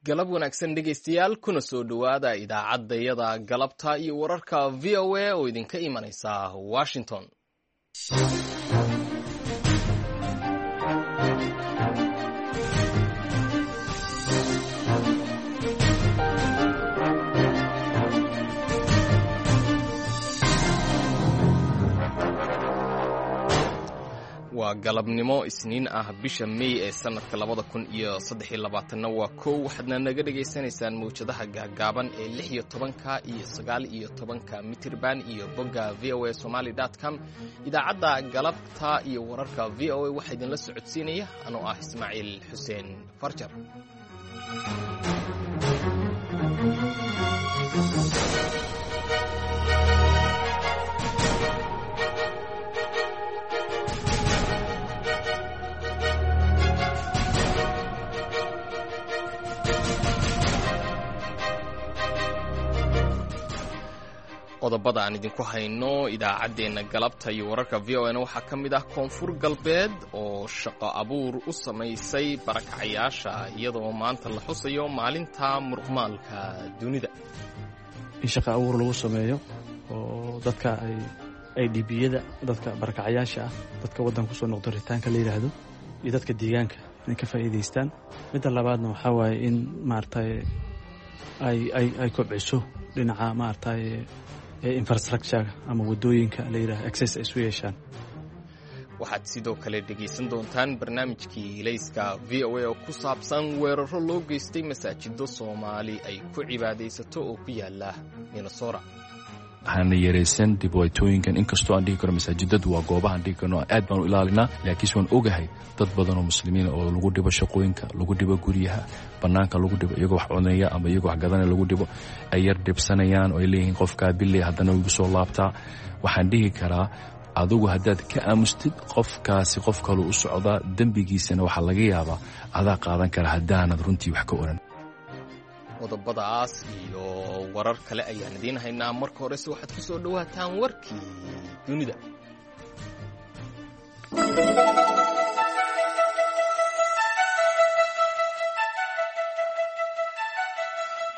Galab wanaagsan dhegaystayaal, kuna soo dhowaada idaacaddayada galabta iyo wararka VOA oo idinka imanaysa Washington. Waa galabnimo Isniin ah, bisha Mey ee sanadka 2023-na waa 1. Waxaadna naga dhagaysanaysaan mawjadaha gaagaaban ee 16-ka iyo 19-ka mitirban iyo bogga voasomali.com. Idaacadda galabta iyo wararka VOA waxaa idinla socodsiinaya anoo ah Ismaaciil Xuseen Farjar. Qodobada aan idinku hayno idaacaddeenna galabta iyo wararka VOA na waxaa ka mid ah Koonfur Galbeed oo shaqo abuur u samaysay barakacayaasha, iyadoo maanta la xusayo maalinta muruqmaalka dunida. In shaqo abuur lagu sameeyo oo dadka ay dhibiyada, dadka barakacayaasha ah, dadka waddanka kusoo noqdo, ritaanka la yidhaahdo, iyo dadka deegaanka inay ka faa'iidaystaan. Midda labaadna waxaa waaye in maaragtay ay kobciso dhinaca maaragtay infrastructure ama wadooyinka la yidhaha access ay isu yeeshaan. Waxaad sidoo kale dhegaysan doontaan barnaamijkii Ilayska VOA oo ku saabsan weeraro loo geystay masaajido Soomaali ay ku cibaadaysato oo ku yaala Minnesota. Waxaana yaraysan dhibaatooyinkan, inkastoo aan dhihi karo masaajidadu waa goobahaan dhihi karno aad baan u ilaalinaa, laakiinse waan ogahay dad badan oo muslimiina oo lagu dhibo shaqooyinka, lagu dhibo guryaha, bannaanka lagu dhibo, iyagoo wax cunaya ama iyagoo wax gadanaya lagu dhibo, ay yar dhibsanayaan oo ay leeyihiin qofkaa billey haddana igu soo laabtaa. Waxaan dhihi karaa, adigu haddaad ka aamustid qofkaasi, qof kaluu u socdaa, dembigiisana waxaa laga yaabaa adaa qaadan kara haddaanad runtii wax ka oran. Qodobadaas iyo warar kale ayaan idiin haynaa. Marka horese waxaad ku soo dhowaataan warkii dunida.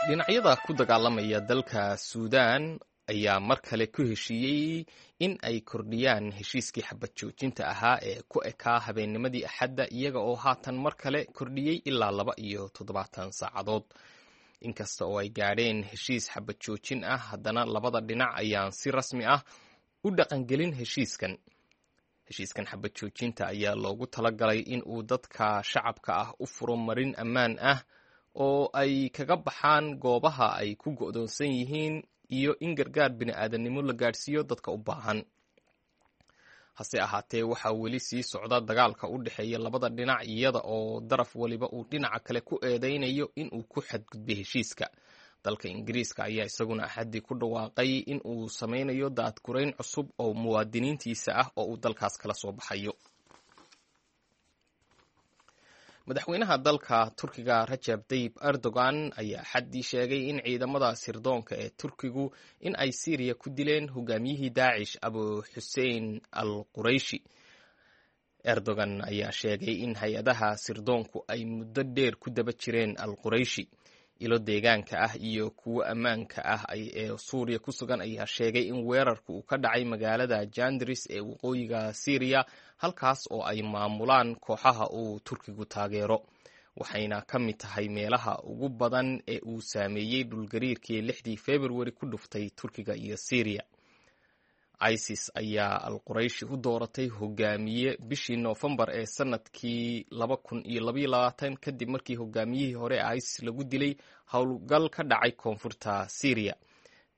Dhinacyada ku dagaalamaya dalka Suudaan ayaa mar kale ku heshiiyey in ay kordhiyaan heshiiskii xabad joojinta ahaa ee ku ekaa habeennimadii Axadda, iyaga oo haatan mar kale kordhiyey ilaa 72 saacadood. Inkasta oo ay gaadheen heshiis xabad joojin ah, haddana labada dhinac ayaan si rasmi ah u dhaqangelin heshiiskan. Heshiiskan xabad joojinta ayaa loogu talagalay in uu dadka shacabka ah u furo marin ammaan ah oo ay kaga baxaan goobaha ay ku go'doonsan yihiin iyo in gargaar bini'aadanimo la gaadhsiiyo dadka u baahan. Hase ahaatee, waxaa weli sii socda dagaalka u dhexeeya labada dhinac, iyada oo daraf waliba uu dhinaca kale ku eedeynayo in uu ku xadgudbay heshiiska. Dalka Ingiriiska ayaa isaguna Axaddii ku dhawaaqay in uu sameynayo daadgurayn cusub oo muwaadiniintiisa ah oo uu dalkaas kala soo baxayo. Madaxweynaha dalka Turkiga Rajab Tayib Erdogan ayaa Axaddii sheegay in ciidamada sirdoonka ee Turkigu in ay Siiriya ku dileen hogaamiyihii Daacish Abu Xusein al Qurayshi. Erdogan ayaa sheegay in hay-adaha sirdoonku ay muddo dheer ku daba jireen al Qurayshi. Ilo deegaanka ah iyo kuwo ammaanka ah ee Suuriya ku sugan ayaa sheegay in weerarku uu ka dhacay magaalada Jandris ee waqooyiga Siiriya, halkaas oo ay maamulaan kooxaha uu Turkigu taageero, waxayna ka mid tahay meelaha ugu badan ee uu saameeyey dhulgariirkii 6-dii Februari ku dhuftay Turkiga iyo Siiriya. ISIS ayaa al Qurayshi u dooratay hogaamiye bishii Noofembar ee sanadkii 2022, kadib markii hogaamiyihii hore ee ISIS lagu dilay howlgal ka dhacay koonfurta Siiriya.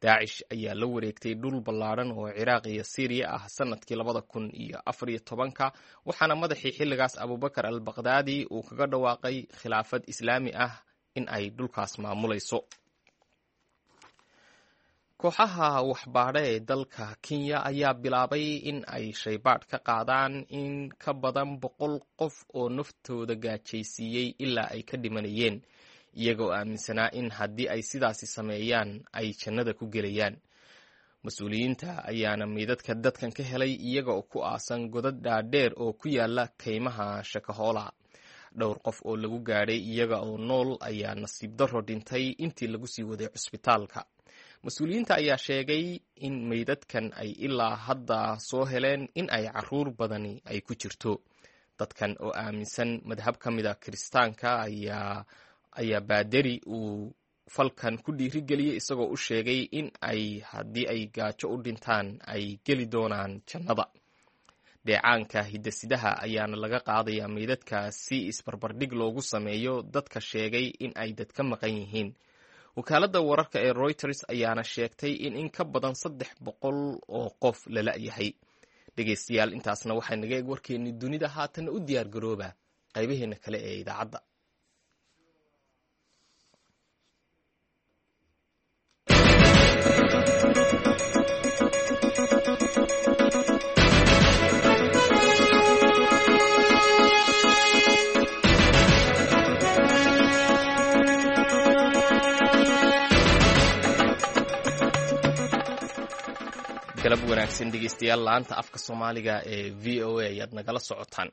Daacish ayaa la wareegtay dhul ballaadhan oo Ciraaq iyo Siiriya ah sanadkii 2014-ka, waxaana madaxii xilligaas Abubakar al Baqdaadi uu kaga dhawaaqay khilaafad islaami ah in ay dhulkaas maamulayso. Kooxaha waxbaadha ee dalka Kenya ayaa bilaabay in ay shaybaadh ka qaadaan in ka badan 100 qof oo naftooda gaajaysiiyey ilaa ay ka dhimanayeen, iyagoo aaminsanaa in haddii ay sidaasi sameeyaan ay jannada ku gelayaan. Mas-uuliyiinta ayaana meydadka dadkan ka helay iyaga oo ku aasan godad dhaadheer oo ku yaala kaymaha Shakahoola. Dhowr qof oo lagu gaadhay iyaga oo nool ayaa nasiib darro dhintay intii lagu sii waday cusbitaalka. Mas-uuliyiinta ayaa sheegay in meydadkan ay ilaa hadda soo heleen in ay caruur badani ay ku jirto. Dadkan oo aaminsan madhab ka mida Kiristaanka ayaa baaderi uu falkan ku dhiirigeliyey, isagoo u sheegay in ay haddii ay gaajo u dhintaan ay geli doonaan jannada. Dheecaanka hidasidaha ayaana laga qaadayaa meydadka si isbarbardhig loogu sameeyo dadka sheegay in ay dad ka maqan yihiin. Wakaaladda wararka ee Reuters ayaana sheegtay in ka badan 300 oo qof la la'yahay. Dhegeystayaal, intaasna waxaa naga eeg warkeennii dunida. Haatanna u diyaar garooba qaybaheena kale ee idaacadda. Galab wanaagsan dhegeystayaal, laanta afka Soomaaliga ee VOA ayaad nagala socotaan.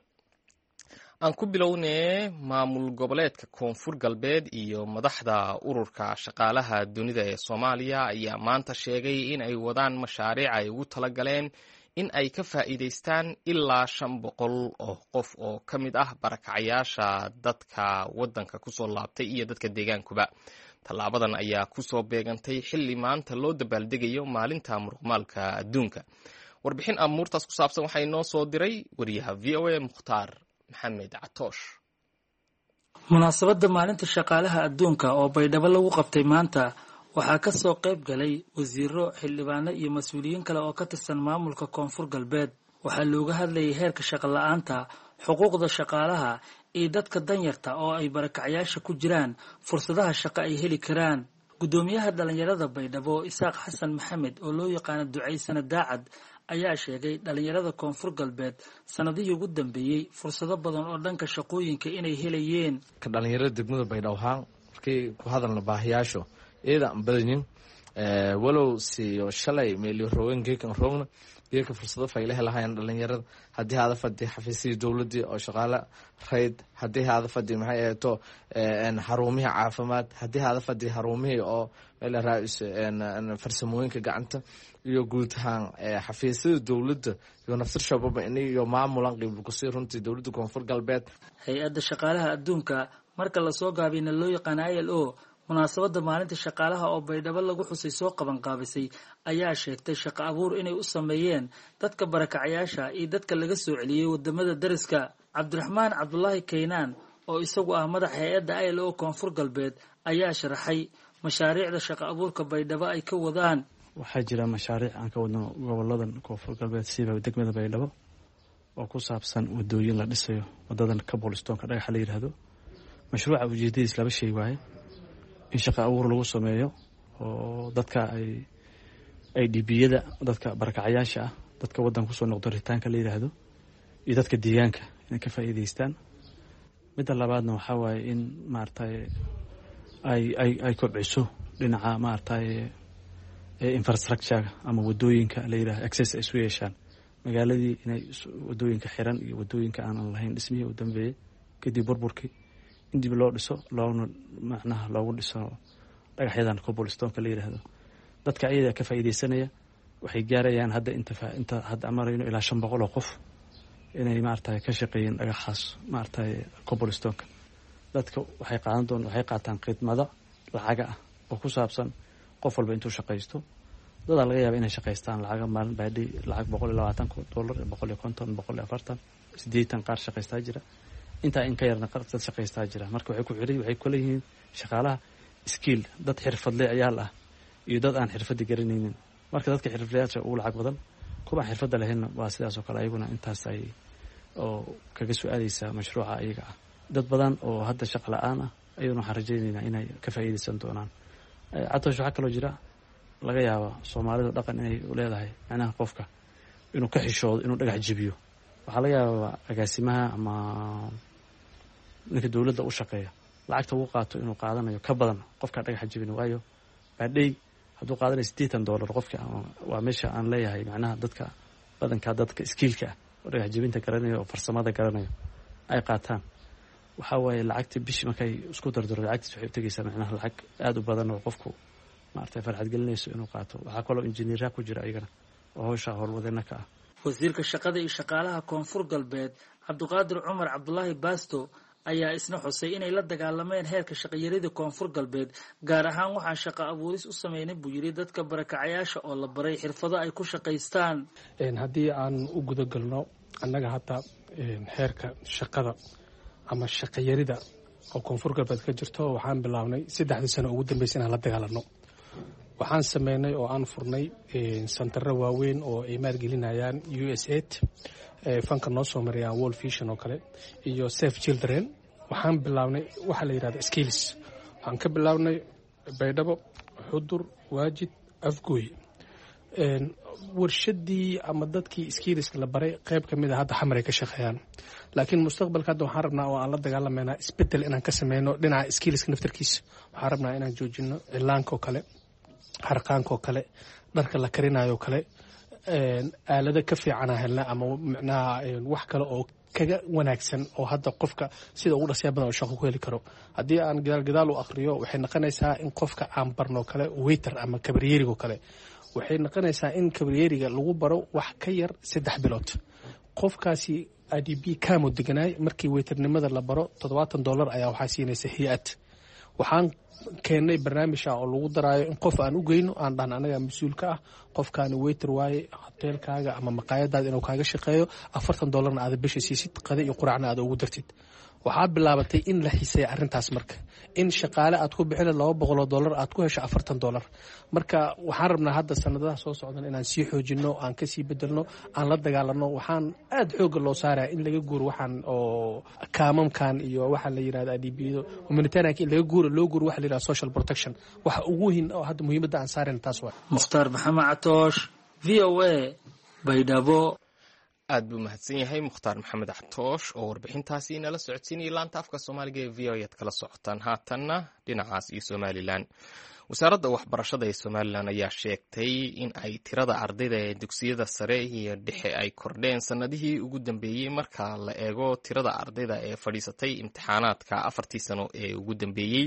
Aan ku bilownee, maamul goboleedka Koonfur Galbeed iyo madaxda Ururka Shaqaalaha Dunida ee Soomaaliya ayaa maanta sheegay in ay wadaan mashaariic ay ugu talagaleen in ay ka faa'iidaystaan ilaa 500 oo qof oo ka mid ah barakacayaasha, dadka waddanka kusoo laabtay iyo dadka deegaankuba. Tallaabadan ayaa kusoo beegantay xilli maanta loo dabaaldegayo maalinta muruqmaalka adduunka. Warbixin amuurtaas ku saabsan waxaa inoo soo diray wariyaha VOA Mukhtaar Maxamed Catoosh. Munaasabadda maalinta shaqaalaha adduunka oo Baydhabo lagu qabtay maanta waxaa ka soo qayb galay wasiiro, xildhibaano iyo mas-uuliyiin kale oo ka tirsan maamulka Koonfur Galbeed. Waxaa looga hadlayay heerka shaqo la-aanta, xuquuqda shaqaalaha iyo dadka danyarta oo ay barakacyaasha ku jiraan fursadaha shaqo ay heli karaan. Guddoomiyaha dhalinyarada Baydhabo, Isaaq Xasan Maxamed oo loo yaqaano Ducaysana Daacad, ayaa sheegay dhalinyarada Koonfur Galbeed sanadihii ugu dambeeyey fursado badan oo dhanka shaqooyinka inay helayeen. Ka dhalinyarada degmada Baydhabo ahaan, markii ku hadalna baahiyaasho iyada aan badanin, walow siiyo shalay meeliyo roogan geekan roogna, geeka fursado fayle helahayan dhalinyarada. Haddii haada fadhi xafiisyadii dowladii oo shaqaale rayd, haddii haada fadhi maxay aheeto xarumihii caafimaad, haddii haada fadhi xarumihii oo meel raais farsamooyinka gacanta iyo guud ahaan xafiisyada dowladda iyo nafsir shababa iyo maamulan qiibkusii runtii dowladda Koonfur Galbeed. Hay-adda Shaqaalaha Adduunka marka lasoo gaabiyna loo yaqaana ILO, munaasabadda maalinta shaqaalaha oo Baydhabo lagu xusay soo qabanqaabisay, ayaa sheegtay shaqo abuur inay u sameeyeen dadka barakacayaasha iyo dadka laga soo celiyey wadamada dariska. Cabdiraxmaan Cabdulaahi Kaynaan oo isagu ah madax hay-adda ILO Koonfur Galbeed ayaa sharaxay mashaariicda shaqo abuurka Baydhabo ay ka wadaan. Waxaa jira mashaariic aan ka wadno goboladan Koonfur Galbeed, siiba degmada Baydhabo, oo ku saabsan wadooyin la dhisayo, wadadan cobblestoonka dhagaxa la yidhaahdo. Mashruuca ujeedadiis laba shay waaye: in shaqa abuur lagu sameeyo oo dadka ay IDP-yada, dadka barakacayaasha ah, dadka waddanka kusoo noqdo ritaanka la yidhaahdo, iyo dadka deegaanka inay ka faa'iidaystaan. Midda labaadna waxaa waaye in maaragtay ay kobciso dhinaca maaragtay infrastructure ama wadooyinka la yidhahdo, access ay isu yeeshaan magaaladii, inay wadooyinka xiran iyo wadooyinka aanan lahayn dhismihii u dambeeyey kadib burburkii in dib loo dhiso, loona macnaha loogu dhiso dhagaxyadan cobblestoonka la yidhaahdo. Dadka ayadaa ka faa'iidaysanaya waxay gaarayaan hadda inta hadda marayno ilaa 500 oo qof inay maaragtay ka shaqeeyeen dhagaxaas maaragtay cobblestoonka. Dadka waxay qaadan doon waxay qaataan khidmado lacaga ah oo ku saabsan qof walba intuu shaqaysto. Dadaa laga yaaba inay shaqaystaan lacaga maalin baadhi lacag $120, 150, 140, 80 qaar shaqaystaa jira, intaa in ka yarna dad shaqaystaa jira. Marka waxay ku xiri waxay kula yihiin shaqaalaha skill, dad xirfadle ayaal ah iyo dad aan xirfadda garanaynin. Marka dadka xirfadlayaasha ugu lacag badan, kuwa aan xirfadda lahaynna waa sidaas oo kale, ayaguna intaas ay oo kaga su-aaleysaa mashruuca ayaga ah. Dad badan oo hadda shaqa la-aan ah ayaduna waxaan rajaynaynaa inay ka faa'iidaysan doonaan. Catoosh, waxaa kaloo jira laga yaaba Soomaalida dhaqan inay leedahay macnaha qofka inuu ka xishoodo inuu dhagax jebiyo. Waxaa laga yaabaa agaasimaha ama ninka dowladda u shaqeeya lacagta uu qaato inuu qaadanayo ka badan qofkaa dhagaxa jebin, waayo baadhey hadduu qaadanayo $80 qofka. Waa meesha aan leeyahay macnaha dadka badankaa dadka skill-ka ah oo dhagax jebinta garanayo oo farsamada garanayo ay qaataan. Waxaa waaye lacagta bishii markay isku dardaro lacagtiis waxay u tegeysaa macnaha lacag aada u badan oo qofku maaragtay farxad gelinayso inuu qaato. Waxaa kaloo injineeraa ku jira ayagana oo hawsha howlwadeenna ka ah. Wasiirka shaqada iyo shaqaalaha Koonfur Galbeed, Cabdiqaadir Cumar Cabdulaahi Baasto, ayaa isna xusay inay la dagaalameen heerka shaqayarida Koonfur Galbeed. Gaar ahaan waxaan shaqo abuuris u sameynay, buu yidhi, dadka barakacayaasha oo la baray xirfado ay ku shaqaystaan. Haddii aan u gudagalno annaga hadda heerka shaqada ama shaqayarida oo Koonfur Galbeed ka jirto, waxaan bilaabnay 3dii sano ugu dambeysay inaan la dagaalano. Waxaan sameynay oo aan furnay santaro waaweyn oo ay maalgelinayaan USAID, fanka noo soo marayaan World Vision oo kale iyo Save Children. Waxaan bilaabnay waxaa la yidhahda skills. Waxaan ka bilaabnay Baydhabo, Xudur, Waajid, Afgooy. Warshadii ama dadkii skillska la baray qayb ka mid a hadda Xamar ay ka shaqeeyaan, laakiin mustaqbalka hadda waxaan rabnaa oo aan la dagaalameynaa isbedel inaan ka sameyno dhinaca skillska naftarkiisa. Waxaan rabnaa inaan joojino cilaanka oo kale, harqaanka oo kale, dharka la karinayo kale. Aalado ka fiicana helna ama micnaha wax kale oo kaga wanaagsan oo hadda qofka sida ugu dhasya badan oo shaqo ku heli karo. Haddii aan gadaal gadaal u akhriyo, waxay noqonaysaa in qofka aan barno kale waiter ama kabaryerigo kale, waxay noqonaysaa in kabaryeriga lagu baro wax ka yar 3 bilood. Qofkaasi IDP camp deganaay, markii waiternimada la baro $70 ayaa waxaa siinaysa hay-ad. Waxaan keennay barnaamij ah oo lagu daraayo in qof aan u geyno, aan dhahno anagaa mas-uulka ah, qofkaani waiter waaye, hoteelkaaga ama maqaayadaada inuu kaaga shaqeeyo, $40na aada bisha siisid, qada iyo quraacna aada ugu dartid. Waxaa bilaabatay in la xiiseeya arrintaas, marka in shaqaale aad ku bixina $200 aad ku hesho $40. Marka waxaan rabnaa hadda sanadaha soo socdan inaan sii xoojino, aan kasii bedelno, aan la dagaalano. Waxaan aada xoogga loo saaraya in laga guuro waxaan oo kaamamkan iyo waxa la yirahda IDPyado humanitarianka, in laga guuro, loo guuro waxa la yirahda social protection. Waxa ugu weyn oo hadda muhiimadda aan saarayna taas waa. Mukhtaar Maxamed Catoosh, VOA, Baydhabo. Aad buu mahadsan yahay Mukhtaar Maxamed Catoosh oo warbixintaasi inala socodsiinayay. Laanta afka Soomaaliga ee VOA aad kala socotaan. Haatanna dhinacaas iyo Somalilan. Wasaaradda waxbarashada ee Somalilan ayaa sheegtay in ay tirada ardayda ee dugsiyada sare iyo dhexe ay kordheen sannadihii ugu dambeeyey, marka la eego tirada ardayda ee fadhiisatay imtixaanaadka 4tii sano ee ugu dambeeyey,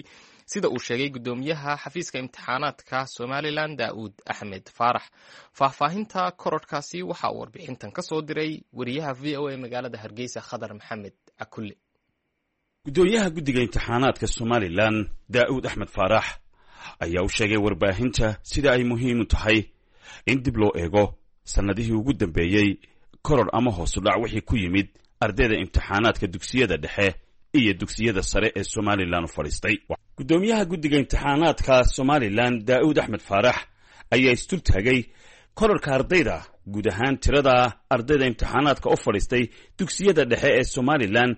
sida uu sheegay guddoomiyaha xafiiska imtixaanaadka Somalilan, Daa'uud Axmed Faarax. Faahfaahinta korodhkaasi waxa uu warbixintan ka soo diray wariyaha VOA magaalada Hargeysa, Khadar Maxamed Cakulle. Guddoomiyaha guddiga imtixaanaadka Somalilan, Daa'uud Axmed Faarax, ayaa u sheegay warbaahinta sida ay muhiim u tahay in dib loo eego sannadihii ugu dambeeyey koror ama hoosu dhac wixii ku yimid ardayda imtixaanaadka dugsiyada dhexe iyo dugsiyada sare ee Somalilan u fadhiistay. Guddoomiyaha guddiga imtixaanaadka Somalilan, Daa'uud Axmed Faarax, ayaa isdultaagay kororka ardayda, guud ahaan tirada ardayda imtixaanaadka u fadhiistay dugsiyada dhexe ee Somalilan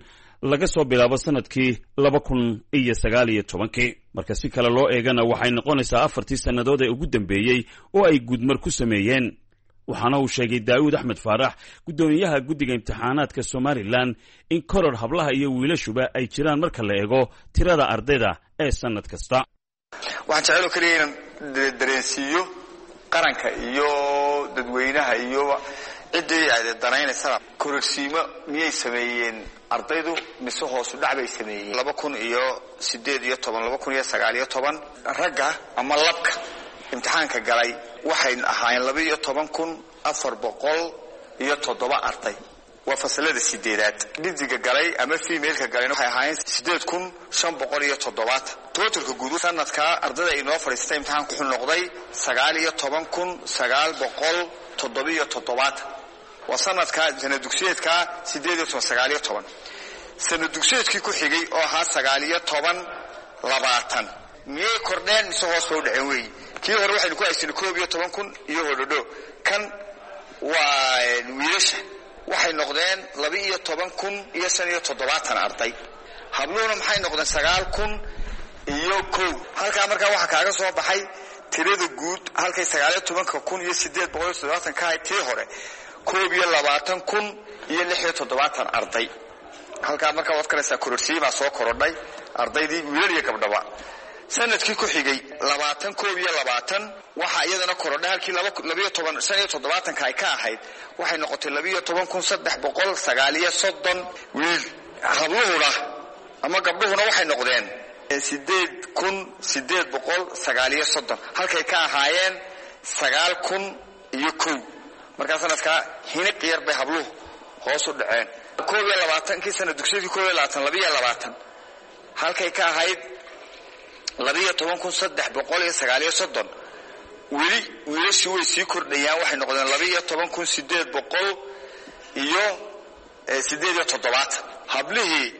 laga soo bilaabo sanadkii 2019-kii. Marka si kale loo eegana, waxay noqonaysaa 4tii sannadood ee ugu dambeeyey oo ay guudmar ku sameeyeen. Waxaana uu sheegay Daa'uud Axmed Faarax, guddoomiyaha guddiga imtixaanaadka Somalilan, in koror hablaha iyo wiilashuba ay jiraan marka la eego tirada ardayda ee sannad kasta. Waxaan jeceloo keliya inaan dareensiiyo qaranka iyo dadweynaha iyo ciddii ay danaynaysana: kororsiimo miyay sameeyeen ardaydu mise hoosu dhac bay sameeyeen? 2018, 2019, ragga ama labka imtixaanka galay waxay ahaayeen 12,407 arday, waa fasalada sideedaad. Dhidiga galay ama femaleka galay waxay ahaayeen 8570. Totalka guud sanadka ardayda inoo fadhiistay imtixaanku wuxuu noqday 19,977. Waa sanadka sanad dugsiyeedka 18 19. Sanad dugsiyeedkii ku xigay oo ahaa 19 20, miyay kordheen mise hoos bay u dhaceen weeyi? Kii hore waxaynu ku haysanay 11,000 iyo hodhodho. Kan waa wiilasha, waxay noqdeen 12,075 arday. Habluhuna maxay noqdeen? 9,001. Halkaa markaa waxaa kaaga soo baxay tirada guud halkay 19,870 ka ahayd tii hore, 21,076 arday. Halkaa markaa waad karaysaa, kororsiimaa soo korodhay ardaydii, wiilal iyo gabdhaba. Sanadkii ku xigay 2021 waxaa iyadana korodhay, halkii 12,075-ka ay ka ahayd, waxay noqotay 12,339 wiil. Habluhuna Ama gabdhuhuna waxay noqdeen 8,839, halkay ka ahaayeen 9,001. Markaa sanadkaa hiniq yar bay habluhu hoos u dhaceen. 21-kii sana dugsiyadii 21 22, halkay ka ahayd 12,339, weli wiilashii way sii kordhayaan, waxay noqdeen 12,878. Hablihii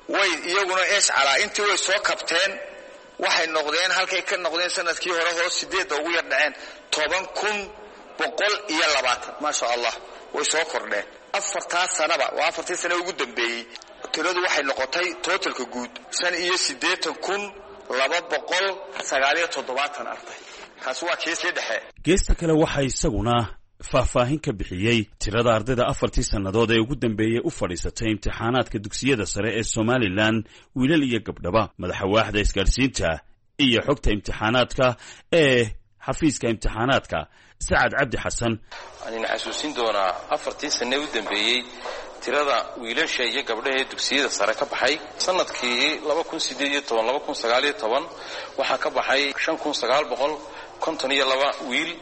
way iyaguna eeshcalaa intii way soo kabteen, waxay noqdeen halkay ka noqdeen sanadkii hore hoos 8 ugu yar dhaceen, 10,120. Maasha Allah, way soo kordheen afartaa sanaba. Waa afartii sana ugu dambeeyey. Tiradu waxay noqotay totalka guud 85,279 arday. Kaasi waa kiisii dhexe. Geesta kale waxaa isaguna faahfaahin ka bixiyey tirada ardayda afartii sannadood ee ugu dambeeyey u fadhiisatay imtixaanaadka dugsiyada sare ee Somalilan, wiilal iyo gabdhaba, madaxa waaxda isgaadhsiinta iyo xogta imtixaanaadka ee xafiiska imtixaanaadka, Sacad Cabdi Xasan. Waxaan idin xasuusin doonaa afartii sanne u dambeeyey tirada wiilasha iyo gabdhaha ee dugsiyada sare ka baxay. Sanadkii waxaa ka baxay 5,952 wiil,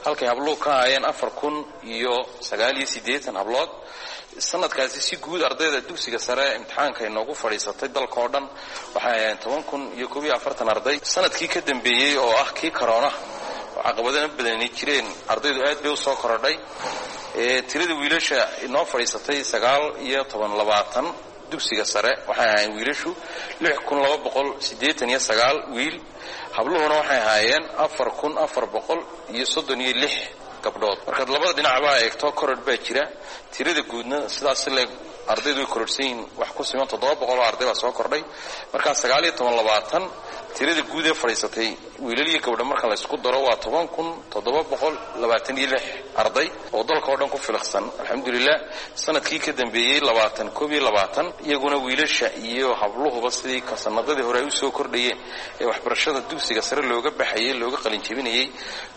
halkay habluhu ka ahaayeen 4,089 hablood. Sanadkaasi si guud ardayda dugsiga sare imtixaanka inoogu fadhiisatay dalka oo dhan waxay ahaayeen 10,041 arday. Sanadkii ka dambeeyey oo ah kii karoona oo caqabadana badani jireen, ardaydu aad bay usoo korodhay. Tirada wiilasha inoo fadhiisatay 1920 dugsiga sare waxay ahaayeen wiilashu 6,289 wiil, habluhuna waxay ahaayeen 4,436 gabdhood. Markaad labada dhinacbaa eegto, korodh baa jira. Tirada guudna sidaas leeg ardaydu way korodhsan yihiin, wax ku siman 700 oo arday baa soo kordhay. Markaa 1920 tirada guud ee fadhiisatay wiilal iyo gabdho marka la isku daro waa 10,726 arday oo dalka oo dhan ku filiqsan, alxamdulilah. Sanadkii ka dambeeyey 2021, iyaguna wiilasha iyo habluhuba sidii sanadadii hore ay usoo kordhayeen ee waxbarashada dugsiga sare looga baxayey, looga qalinjebinayey,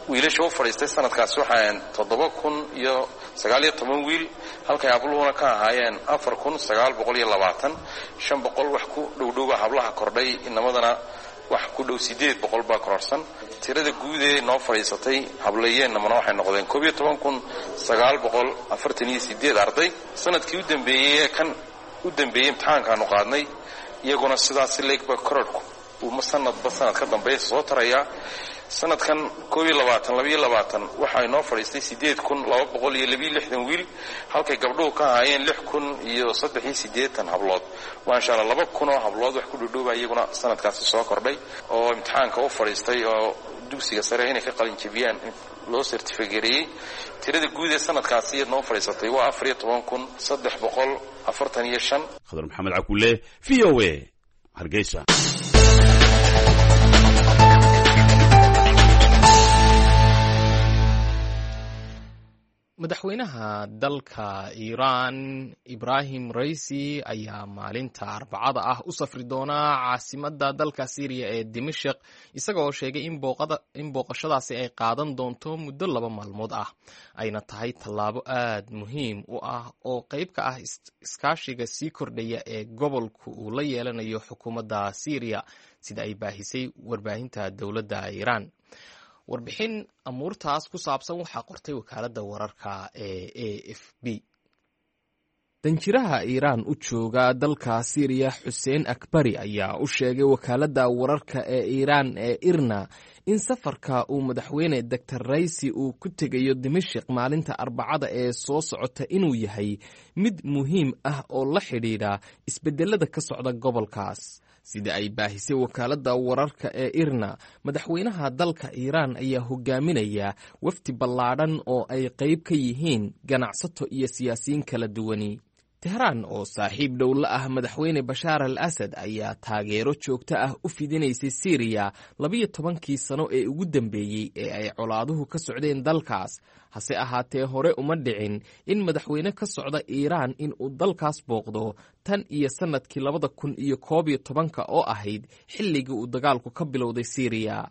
wiilasha u fadhiistay sanadkaasi waxay ahaayeen 7,019 wiil, halkay habluhuna ka ahaayeen 4,920. 500 wax ku dhowdhowba hablaha kordhay, inamadana wax ku dhow 800 baa kororsan. Tirada guud ee noo fadhiisatay hablayeennamana waxay noqdeen 11,948 arday. Sanadkii u dambeeyey ee kan u dambeeyey imtixaankaanu qaadnay, iyaguna sidaasi leegba korodhku uu sanadba sanad ka dambeeya soo tarayaa. Sanadkan 21 22 waxaa inoo fadhiistay 8,262 wiil, halkay gabdhuhu ka ahaayeen 6,083 hablood. Maasha Allah, 2,000 oo hablood wax ku dhudhowba iyaguna sanadkaasi soo kordhay oo imtixaanka u fadhiistay oo dugsiga sare inay ka qalin jebiyaan loo sertifigareeyey. Tirada guud ee sanadkaasi iyad noo fadhiisatay waa 14,345. Khadar Maxamed Cakuule, V O A, Hargeysa. Madaxweynaha dalka Iiraan Ibrahim Raisi ayaa maalinta Arbacada ah u safri doonaa caasimadda dalka Siiriya ee Dimashik, isagoo sheegay in booqashadaasi ay qaadan doonto muddo 2 maalmood ah, ayna tahay tallaabo aad muhiim u ah oo qayb ka ah iskaashiga sii kordhaya ee gobolku uu la yeelanayo xukuumadda Siiriya, sida ay baahisay warbaahinta dowladda Iiraan. Warbixin amuurtaas ku saabsan waxaa qortay wakaaladda wararka ee A F B. Danjiraha Iiraan u jooga dalka Siiriya, Xuseen Akbari, ayaa u sheegay wakaaladda wararka ee Iiraan ee IRNA in safarka uu madaxweyne Doctor Raisi uu ku tegayo Dimashik maalinta Arbacada ee soo socota inuu yahay mid muhiim ah oo la xidhiidha isbedelada ka socda gobolkaas. Sida ay baahisay wakaaladda wararka ee IRNA, madaxweynaha dalka Iiraan ayaa hogaaminaya wafdi ballaadhan oo ay qayb ka yihiin ganacsato iyo siyaasiyiin kala duwani. Tehraan oo saaxiib dhow la ah madaxweyne Bashaar al Asad ayaa taageero joogto ah u fidinaysay Siiriya 12-kii sano ee ugu dambeeyey ee ay colaaduhu ka socdeen dalkaas. Hase ahaatee, hore uma dhicin in madaxweyne ka socda Iiraan in uu dalkaas booqdo tan iyo sannadkii 2011-ka oo ahayd xilligii uu dagaalku ka bilowday Siiriya.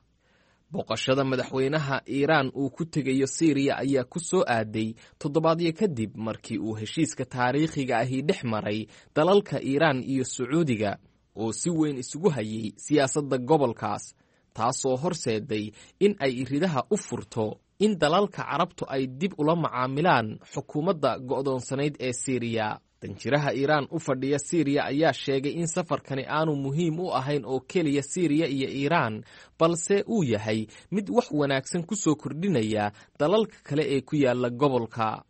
Booqashada madaxweynaha Iiraan uu ku tegayo Siiriya ayaa ku soo aaday toddobaadyo kadib markii uu heshiiska taariikhiga ahi dhex maray dalalka Iiraan iyo Sacuudiga. oo si weyn isugu hayay siyaasadda gobolkaas, taasoo horseeday in ay iridaha u furto in dalalka Carabtu ay dib ula macaamilaan xukuumadda go'doonsanayd ee Siiriya. Danjiraha Iiraan u fadhiya Siiriya ayaa sheegay in safarkani aanu muhiim u ahayn oo keliya Siiriya iyo Iiraan, balse uu yahay mid wax wanaagsan ku soo kordhinaya dalalka kale ee ku yaala gobolka.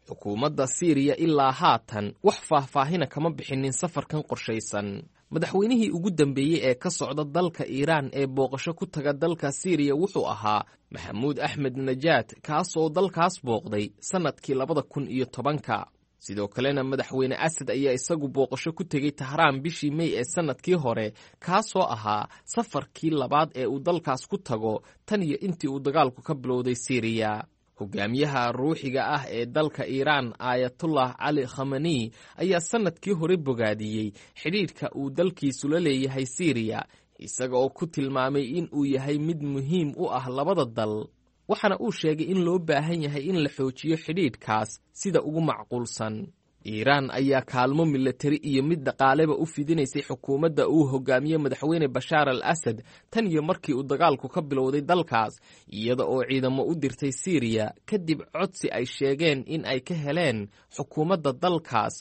Xukuumadda Siiriya ilaa haatan wax faahfaahina kama bixinin safarkan qorshaysan. Madaxweynihii ugu dambeeyey ee ka socda dalka Iiraan ee booqasho ku taga dalka Siiriya wuxuu ahaa Maxamuud Axmed Najaad, kaasoo dalkaas booqday sannadkii 2010-ka. Sidoo kalena Madaxweyne Asad ayaa isagu booqasho ku tegey Tahraan bishii Mey ee sannadkii hore, kaasoo ahaa safarkii labaad ee uu dalkaas ku tago tan iyo intii uu dagaalku ka bilowday Siiriya. Hogaamiyaha ruuxiga ah ee dalka Iiraan, Aayatullah Cali Khamani, ayaa sannadkii hore bogaadiyey xidhiidhka uu dalkiisu la leeyahay Siiriya, isaga oo ku tilmaamay in uu yahay mid muhiim u ah labada dal, waxaana uu sheegay in loo baahan yahay in la xoojiyo xidhiidhkaas sida ugu macquulsan. Iiraan ayaa kaalmo milatari iyo mid dhaqaaleba u fidinaysay xukuumadda uu hogaamiye Madaxweyne Bashaar al Asad tan iyo markii uu dagaalku ka bilowday dalkaas, iyada oo ciidamo u dirtay Siiriya kadib codsi ay sheegeen in ay ka heleen xukuumadda dalkaas,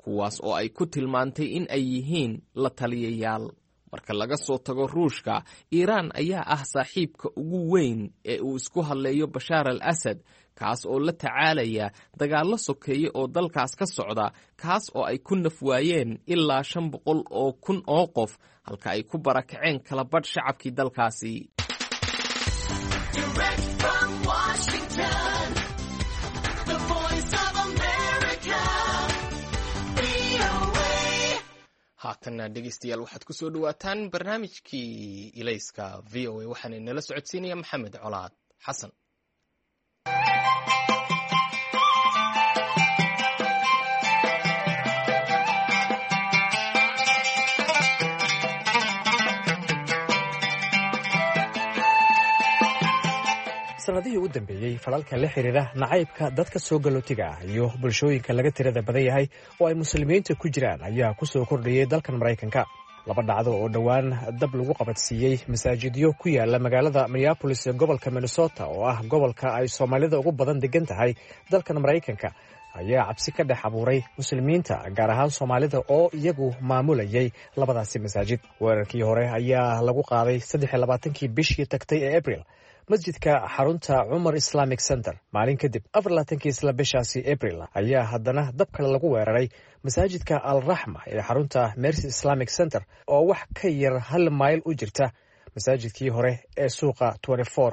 kuwaas oo ay ku tilmaantay in ay yihiin la taliyayaal. Marka laga soo tago Ruushka, Iiraan ayaa ah saaxiibka ugu weyn ee uu isku hadleeyo Bashaar al Asad, kaas oo la tacaalaya dagaallo sokeeye oo dalkaas ka socda, kaas oo ay ku naf waayeen ilaa 500,000 oo qof, halka ay ku barakaceen kala badh shacabkii dalkaasi. Haatanna dhegeystayaal, waxaad ku soo dhowaataan barnaamijkii Ilayska VOA, waxaana inala socodsiinaya Maxamed Colaad Xasan. Sanadihii u dambeeyey, falalka la xiriira nacaybka dadka soo galootiga ah iyo bulshooyinka laga tirada badan yahay oo ay muslimiinta ku jiraan ayaa ku soo kordhayay dalkan Maraykanka. Laba dhacdo oo dhowaan dab lagu qabadsiiyey masaajidyo ku yaala magaalada Minneapolis ee gobolka Minnesota, oo ah gobolka ay soomaalida ugu badan degan tahay dalkan Maraykanka, ayaa cabsi ka dhex abuuray muslimiinta, gaar ahaan soomaalida oo iyagu maamulayay labadaasi masaajid. Weerarkii hore ayaa lagu qaaday 23-kii bishii tagtay ee Abril masjidka xarunta Cumar Islamic Center. Maalin kadib, 24-kii isla bishaasi Abril, ayaa haddana dab kale lagu weeraray masaajidka Alraxma ee xarunta Mercy Islamic Center, oo wax ka yar hal mayl u jirta masaajidkii hore ee suuqa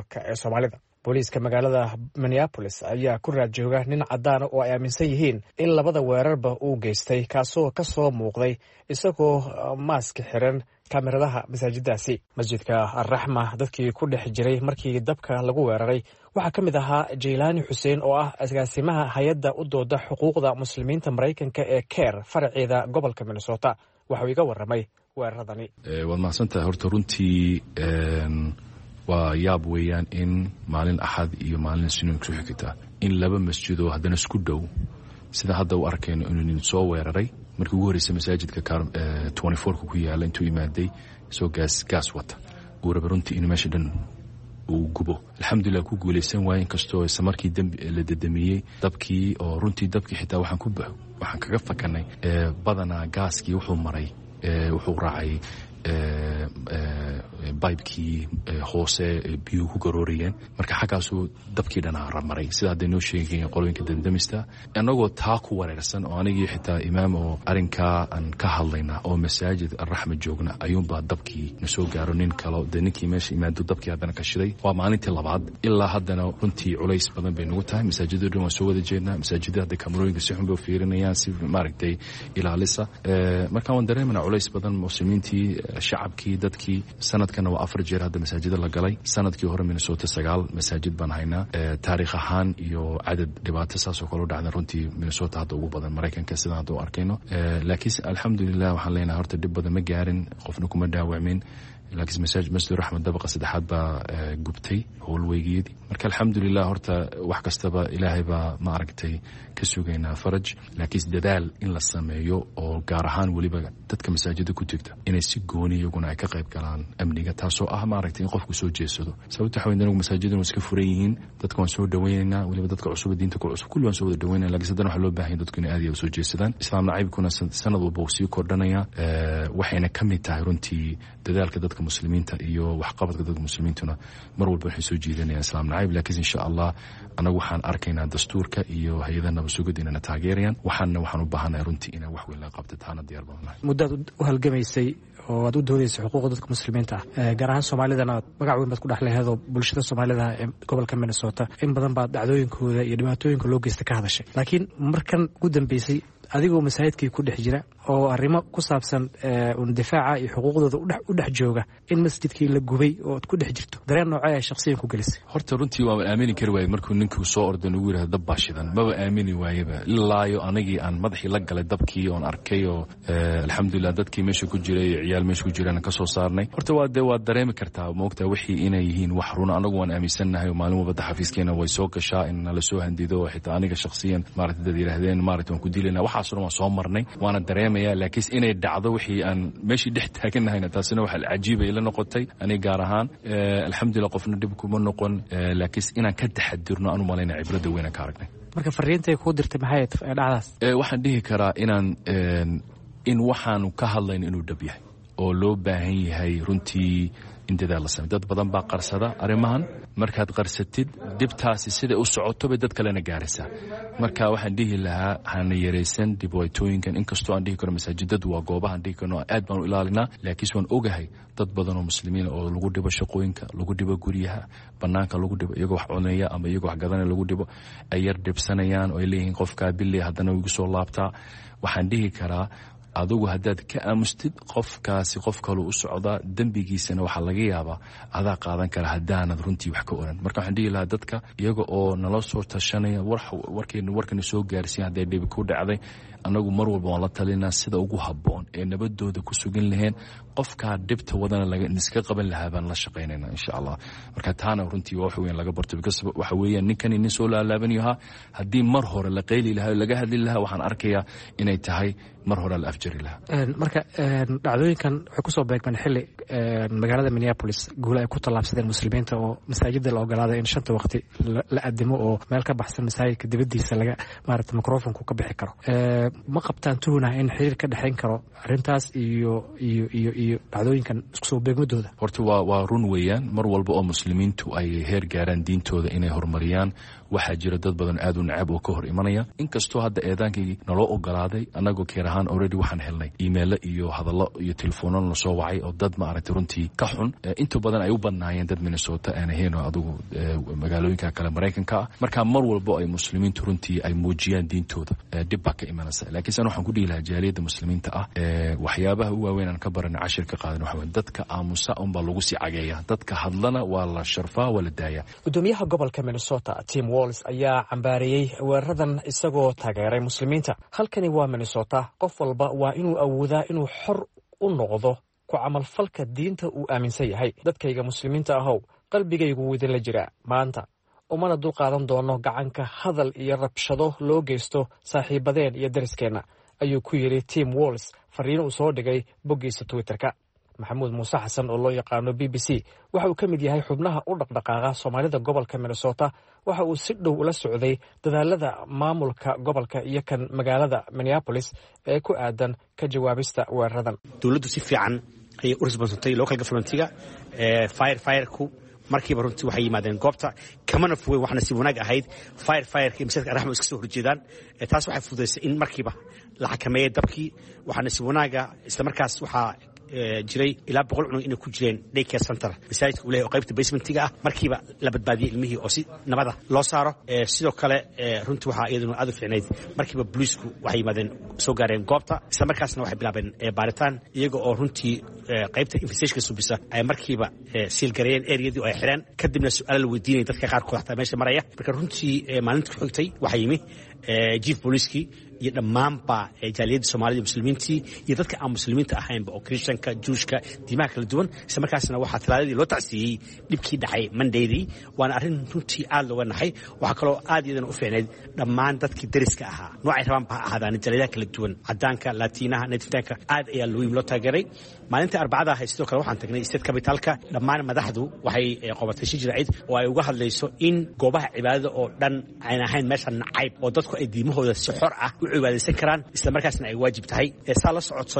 ka ee soomaalida. Booliiska magaalada Minneapolis ayaa ku raad jooga nin caddaana oo ay aaminsan yihiin in labada weerarba uu geystay, kaasoo ka soo muuqday isagoo maaska xiran kaamiradaha masaajiddaasi. Masjidka Alraxma dadkii ku dhex jiray markii dabka lagu weeraray waxaa ka mid ahaa Jaylaani Xuseen, oo ah agaasimaha hay-adda u dooda xuquuqda muslimiinta Maraykanka ee CAIR, faraceeda gobolka Minnesota. Waxauu iga warramay weeraradani. Waad mahadsantahay. Horta runtii waa yaab weeyaan in maalin Axad iyo maalin Isniin ku xigta in laba masjidoo haddana isku dhow, sida hadda u arkayno, inuu nin soo weeraray. Markii ugu horreysay masaajidka ka ku yaala intuu imaaday isoo gaas wata, uu raba runtii inuu meesha dhan uu gubo. Alxamdulilah, ku guulaysan waaye, inkastoo isla markii la dedamiyey dabkii, oo runtii dabkii xitaa waxaan kaga fakanay badanaa gaaskii wuxuu maray, wuxuu raacay bibekii hoose biyuhu ku garoorayeen. Marka xaggaasuu dabkii dhanaa maray, sida hadday noo sheegayen qolooyinka damdamista. Annagoo taa ku wareersan oo anigii xitaa imaam oo arrinkaa aan ka hadlayna oo masaajid Alraxma joogna, ayuunbaa dabkii na soo gaaro. Nin kalo dee ninkii meesha imaado dabkii haddana ka shiday. Waa maalintii labaad. Ilaa haddana runtii culays badan bay nagu tahay. Masaajidoo dhan waan soo wada jeednaa. Masaajidda hadda kamarooyinka si xun bay u fiirinayaan, si maaragtay ilaalisa. Marka waan dareemanaa culays badan muslimiintii, shacabkii, dadkii. Sanadkana waa 4 jeer hadda masaajida la galay. Sanadkii hore Minnesota 9 masaajid baan haynaa. Taariikh ahaan iyo cadad dhibaato saasoo kale u dhacda runtii Minnesota hadda ugu badan Maraykanka, sidaan hadda u arkayno. Laakiinse alxamdulilah waxaan leenahay horta dhib badan ma gaarin, qofna kuma dhaawacmin. Laakiin masaajid Masjid Raxmed dabaqa saddexaad baa gubtay howlweygeedii. Marka alxamdulilah, horta wax kastaba Ilaahay baa ma aragtay ka sugaynaa faraj, laakiin dadaal in la sameeyo oo gaar ahaan weliba dadka masaajida ku jirta inay si gooni iyaguna ay ka qayb galaan amniga, taasoo ah ma aragtay in qofku soo jeedsado. Sababta waxa weyn, anagu masaajiduna waa iska furan yihiin, dadka waan soo dhaweynaynaa, weliba dadka cusub, diinta ku cusub, kulli waan soo wada dhaweynaya, lakiin haddana waxaa loo baahan yahay dadku inay aad iyo soo jeedsadaan. Islaam nacaybkuna sanad walba uu sii kordhanaya, waxayna ka mid tahay runtii dadaalka dadka muslimiinta iyo waxqabadka dadka muslimiintuna mar walba waxay soo jiidanayaan islaam nacayb. Laakiin insha Allah anagu waxaan arkaynaa dastuurka iyo hay-adaha nabadsugid inayna taageerayaan, waxaana waxaan u baahanahay runtii inaan wax weyn laga qabto, taana diyaar baan nahay. Muddaad u halgamaysay oo aad u doodaysay xuquuqda dadka muslimiinta ah, gaar ahaan Soomaalidana magac weyn baad ku dhex leheedoo bulshada Soomaalida ee gobolka Minnesota in badan baad dhacdooyinkooda iyo dhibaatooyinka loo geysta ka hadashay. Laakiin markan ugu dambeysay, adigoo masaajidkii ku dhex jira oo arrimo ku saabsan un difaaca iyo xuquuqdooda u dhex jooga, in masjidkii la gubay oo aad ku dhex jirto, dareen noocee ay shakhsiyan ku gelisay? Horta runtii waan aamini kari waayey markuu ninkuu soo orday nagu yidhahdo dab baa shidan. Maba aamini waayeba ilaayo anagii aan madaxii la galay dabkii oon arkay oo alxamdulilah dadkii meesha ku jiray iyo ciyaal meesha ku jiraan ka soo saarnay. Horta waa dee waad dareemi kartaa, moogtaa, wixii inay yihiin wax runa. Anagu waan aaminsannahay oo maalin walba xafiiskeena way soo gashaa in nala soo handido oo xitaa aniga shakhsiyan maaragtay dad yidhaahdeen maaragtay waan ku dilaynaa. Waxaasoo dhan waan soo marnay, waana dareemaya, laakiin inay dhacdo wixii aan meeshii dhex taaganahayna, taasina waxa cajiibay la noqotay aniga gaar ahaan. Alxamdulilah, qofna dhib kuma noqon, laakiin inaan ka taxadirno aan u malayna cibradda weyn aan ka aragnay. Marka fariintay kuu dirtay maxay dhacdaas? Waxaan dhihi karaa inaan in waxaanu ka hadlayno inuu dhab yahay oo loo baahan yahay runtii in dadaal la samey. Dad badan baa qarsada arrimahan. Markaad qarsatid, dhibtaasi siday u socoto bay dad kalena gaaraysaa. Marka waxaan dhihi lahaa hana yaraysan dhibaatooyinkan, inkastoo aan dhihi karo masaajidadu waa goobahan dhihi karno aad baan u ilaalinaa, laakiinse waan ogahay dad badan oo muslimiina oo lagu dhibo shaqooyinka, lagu dhibo guryaha, banaanka lagu dhibo, iyagoo wax cunaya ama iyagoo wax gadanaya lagu dhibo, ay yar dhibsanayaan oo ay leeyihiin qofkaa billey haddana igu soo laabtaa. Waxaan dhihi karaa adigu haddaad ka aamustid, qofkaasi qof kaluu u socdaa, dembigiisana waxaa laga yaabaa adaa qaadan kara haddaanad runtii wax ka oran. Marka waxaan dhihi lahaa dadka iyaga oo nala soo tashanaya, warkana soo gaarsiin hadday dhibi ku dhacday, annagu mar walba waan la talinaa sida ugu habboon ee nabadooda ku sugan laheen, qofkaa dhibta wadana iska qaban lahaa baan la shaqaynayna insha Allah. Marka taana runtii waa wax weyn laga barto, because waxa weeyaan ninkani nin soo laalaabanayo ahaa. Haddii mar hore la qayli lahaa oo laga hadli lahaa, waxaan arkayaa inay tahay mar hore la afjari lahaa. Marka dhacdooyinkan waxay kusoo beegmeen xilli magaalada Minneapolis guula ay ku tallaabsadeen muslimiinta oo masaajida la ogolaaday in shanta waqti la adimo oo meel ka baxsan masaajidka dibadiisa laga maarata microfonku ka bixi karo. Ma qabtaan tuhunah in xiriir ka dhexayn karo arrintaas iyo dhacdooyinkan isku soo beegmadooda? Horta waa run weeyaan, mar walba oo muslimiintu ay heer gaaraan diintooda inay horumariyaan, waxaa jira dad badan aad u nacab oo ka hor imanaya. Inkastoo hadda eedaankii naloo ogolaaday, anagoo keer ahaan already waxaan helnay emailo iyo hadallo iyo telefoonno la soo wacay oo dad ma aragtay runtii ka xun, inta badan ay u badnaayeen dad Minnesota aan ahayn oo adigu magaalooyinka kale Maraykanka ah. Marka mar walbo ay muslimiintu runtii ay muujiyaan diintooda, dhib baa ka imanaysa. Laakiin san waxaan ku dhihi lahaa jaaliyadda muslimiinta ah, waxyaabaha u waaweyn aan ka barana, cashir ka qaadan, waxa weyn dadka aamusa unbaa lagu sii cageeya, dadka hadlana waa la sharfaa, waa la daayaa. Gudoomiyaha gobolka Minnesota Tim Walz ayaa cambaareeyey weeraradan isagoo taageeray muslimiinta. Halkani waa Minnesota, qof walba waa inuu awoodaa inuu xor u noqdo ku camalfalka diinta uu aaminsan yahay. Dadkayga muslimiinta ahow, qalbigaygu wuu idinla jiraa maanta, umana dul qaadan doono gacanka hadal iyo rabshado loo geysto saaxiibadeen iyo dariskeenna, ayuu ku yidhi Tim Walz fariin uu soo dhigay boggiisa Twitterka. Maxamuud Muuse Xasan oo loo yaqaano BBC waxa uu ka mid yahay xubnaha u dhaqdhaqaaqa Soomaalida gobolka Minnesota. Waxa uu si dhow ula socday dadaalada maamulka gobolka iyo kan magaalada Minneapolis ee ku aadan ka jawaabista weeraradan. Dowladdu si fiican ayay u responsantay, local governmentiga fireku markiiba runtii waxay yimaadeen goobta, kamana fogeyn. Waxna si wanaag ahayd fireka iyo masaajidka Arraxma iska soo horjeedaan. Taas waxay fududaysay in markiiba la xakameeyey dabkii. Waxaana si wanaaga isla markaas waxaa jiray ilaa 100 cunug inay ku jireen daycare center masaajidka uu leeyahay oo qaybta basementiga ah. Markiiba la badbaadiyey ilmihii oo si nabada loo saaro. Sidoo kale runtii waxaa iyaduna aad u fiicnayd, markiiba booliisku waxay yimaadeen, soo gaareen goobta, isla markaasna waxay bilaabeen baaritaan, iyaga oo runtii qaybta investigationka subisa ay markiiba siilgareeyeen areadii oo ay xireen, kadibna su-aala la weydiinaya dadka qaarkood xataa meesha maraya. Marka runtii maalinta ku xigtay waxaa yimi chief booliiskii Iyo dhammaanba jaaliyadda Soomaalida, muslimiintii iyo dadka aan muslimiinta ahaynba oo Christianka, Juushka, diimaha kala duwan. Isla markaasna waxaa Talaadadii loo tacsiiyey dhibkii dhacay Mondaydii, waana arrin runtii aad looga naxay. Waxaa kaloo aad iyadana u fiicnayd dhammaan dadkii dariska ahaa, noocay rabaan ba ha ahaadaan, jaaliyadaha kala duwan, cadaanka, Laatiinaha, Nativetaanka, aad ayaa loo yimi, loo taageeray. Maalinta Arbacada ahayd sidoo kale waxaan tagnay state capitalka. Dhammaan madaxdu waxay qobatay shir jiraacid oo ay uga hadlayso in goobaha cibaadada oo dhan aan ahayn meesha nacayb, oo dadku ay diimahooda si xor ah u cibaadaysan karaan, isla markaasna ay waajib tahay. Saa la socoto,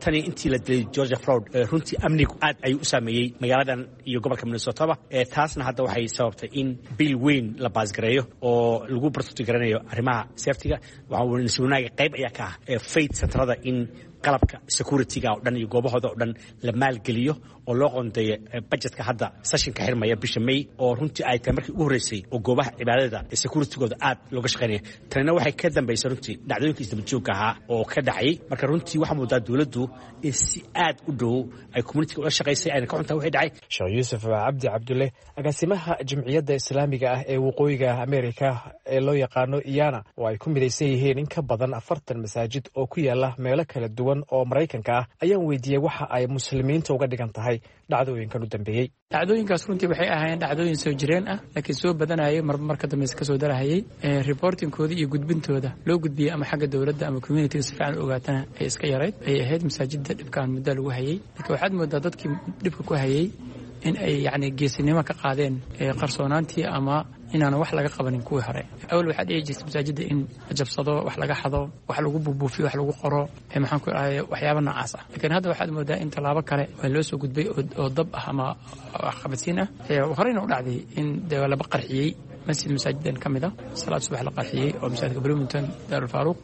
tani intii la dilay George Floyd, runtii amnigu aad ayuu u saameeyey magaaladan iyo gobolka Minnesotaba. Taasna hadda waxay sababtay in bill weyn la baasgareeyo oo lagu protect garanayo arrimaha safetyga. Waxaa nasiib wanaaga qayb ayaa ka ah faith centerada in qalabka securityga oo dhan iyo goobahooda oo dhan la maalgeliyo oo loo qoondeeyo budgetka hadda sessionka xirmaya bisha May, oo runtii ay tahay markii ugu horreysay oo goobaha cibaadada securitygooda aad looga shaqaynaya. Tanina waxay ka dambaysay runtii dhacdooyinka isdaba joogga ahaa oo ka dhacayay. Marka runtii waxaa moodaa dowladdu in si aad u dhow ay communityga ula shaqaysay, ayna ka xuntahay wixii dhacay. Sheekh Yuusuf Cabdi Cabdulle, agaasimaha Jimciyadda Islaamiga ah ee Waqooyiga Ameerika ee loo yaqaano IANA, oo ay ku midaysan yihiin in ka badan 40 masaajid oo ku yaala meelo kala duwan oo Maraykanka ah, ayaan weydiiyey waxa ay muslimiinta uga dhigan tahay dhacdooyinkan u dambeeyey. Dhacdooyinkaas runtii waxay ahaayeen dhacdooyin soo jireen ah, laakiin soo badanayay, marba marka dambeyse kasoo darahayay. Reportingkooda iyo gudbintooda loo gudbiyey ama xagga dowladda ama communityga si fiican u ogaatana ay iska yarayd ayay ahayd. Masaajidda dhibkaan muddo lagu hayay, laakiin waxaad moodaa dadkii dhibka ku hayay in ay yacni geesinimo ka qaadeen qarsoonaantii ama inaanan wax laga qabanin kuwii hore. Awal waxaa dhici jirtay masaajidda in la jabsado, wax laga xado, wax lagu buubuufiyo, wax lagu qoro, maxaan ku dhahay, waxyaaba noocaas ah. Laakiin hadda waxaad moodaa in tallaabo kale waa loo soo gudbay oo dab ah ama waxqabadsiin ah. Horeyna u dhacday in dee laba qarxiyey masjid masaajidan ka mid ah, salaad subax la qarxiyey, oo masaajidka Bloomington, Daarul Faaruq,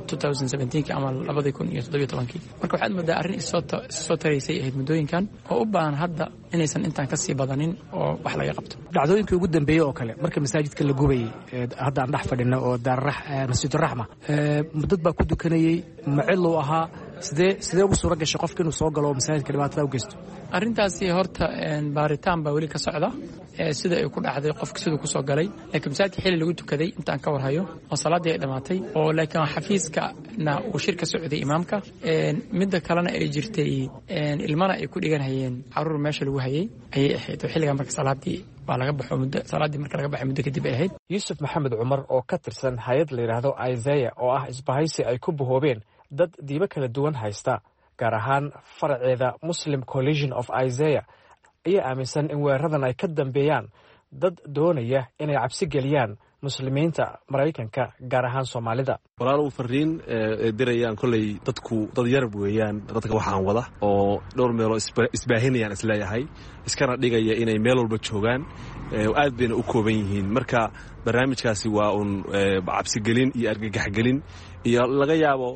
2017 ama 2017-kii. Marka waxaad moodaa arrin issoo taraysay ahayd muddooyinkan oo u baahan hadda inaysan intaan ka sii badanin oo wax laga qabto. Dhacdooyinkii ugu dambeeyey oo kale, marka masaajidka la gubayey hadda aan dhex fadhino oo Masjiduraxma, dad baa ku dukanayey, maciluu ahaa? Sidee ugu suura gashay qofka inuu soo galo oo masaajidka dhibaatada u geysto? Arrintaasi horta baaritaan baa weli ka socda, sida ay ku dhacday, qofka siduu kusoo galay. Laakiin masaajidka xilli lagu tukaday intaan ka warhayo oo salaaddii ay dhammaatay, oo laakiin xafiiskana uu shir ka socday imaamka, midda kalena ay jirtay ilmana ay ku dhiganhayeen caruur meesha lagu hayay ayay ahayd, oo xilligaa marka salaaddii waa laga baxo, muddo salaaddii marka laga baxay muddo kadib ay ahayd. Yuusuf Maxamed Cumar oo ka tirsan hay-ad la yidhaahdo Isaiah, oo ah isbahaysi ay ku bahoobeen dad diimo kala duwan haysta, gaar ahaan faraceeda Muslim Coalition of Isaiah, ayaa aaminsan in weeraradan ay ka dambeeyaan dad doonaya inay cabsi geliyaan muslimiinta Maraykanka, gaar ahaan Soomaalida. Walaalow, fariin dirayaan kolley dadku dad yarab weeyaan, dadka waxaan wada oo dhowr meeloo isbaahinayaan isleeyahay, iskana dhigaya inay meel walba joogaan, aad bayna u kooban yihiin. Marka barnaamijkaasi waa uun cabsigelin iyo argagaxgelin, iyo laga yaabo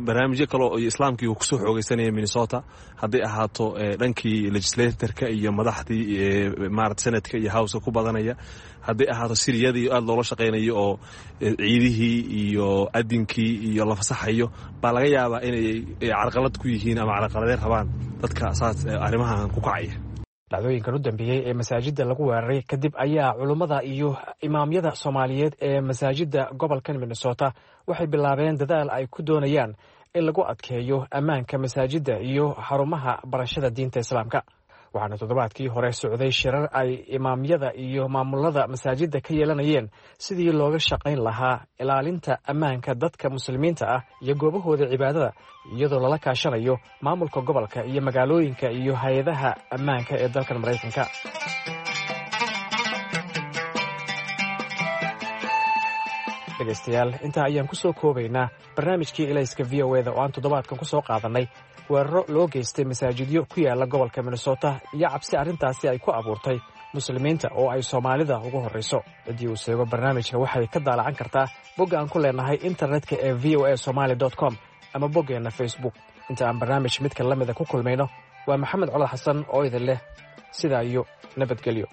barnaamijyo kale oo islaamkii uu kusoo xoogaysanaya Minnesota, hadday ahaato dhankii legislatorka iyo madaxdii maarata senatka iyo houseka ku badanaya, hadday ahaato siriyadii aad loola shaqaynayo oo ciidihii iyo adinkii iyo la fasaxayo, baa laga yaabaa inay carqalad ku yihiin ama carqaladeen rabaan dadka saas arrimahan ku kacaya. Dhacdooyinkan u dambeeyey ee masaajidda lagu weeraray kadib ayaa culummada iyo imaamyada Soomaaliyeed ee masaajidda gobolkan Minnesota waxay bilaabeen dadaal ay ku doonayaan in lagu adkeeyo ammaanka masaajidda iyo xarumaha barashada diinta Islaamka. Waxaana toddobaadkii hore socday shirar ay imaamyada iyo maamulada masaajidda ka yeelanayeen sidii looga shaqayn lahaa ilaalinta ammaanka dadka muslimiinta ah iyo goobahooda cibaadada, iyadoo lala kaashanayo maamulka gobolka iyo magaalooyinka iyo hay-adaha ammaanka ee dalkan Maraykanka. Dhegaystayaal, intaa ayaan ku soo koobaynaa barnaamijkii Ilayska V O eda oo aan toddobaadkan ku soo qaadannay weeraro loo geystay masaajidyo ku yaala gobolka Minnesota iyo cabsi arrintaasi ay ku abuurtay muslimiinta oo ay Soomaalida ugu horrayso. Ciddii uu seego barnaamijka waxay ka daalacan kartaa bogga aan ku leenahay internetka ee v o a somaali com ama boggeenna Facebook. Inta aan barnaamij midka la mida ku kulmayno, waa Maxamed Colad Xasan oo idin leh sidaa iyo nabadgelyo.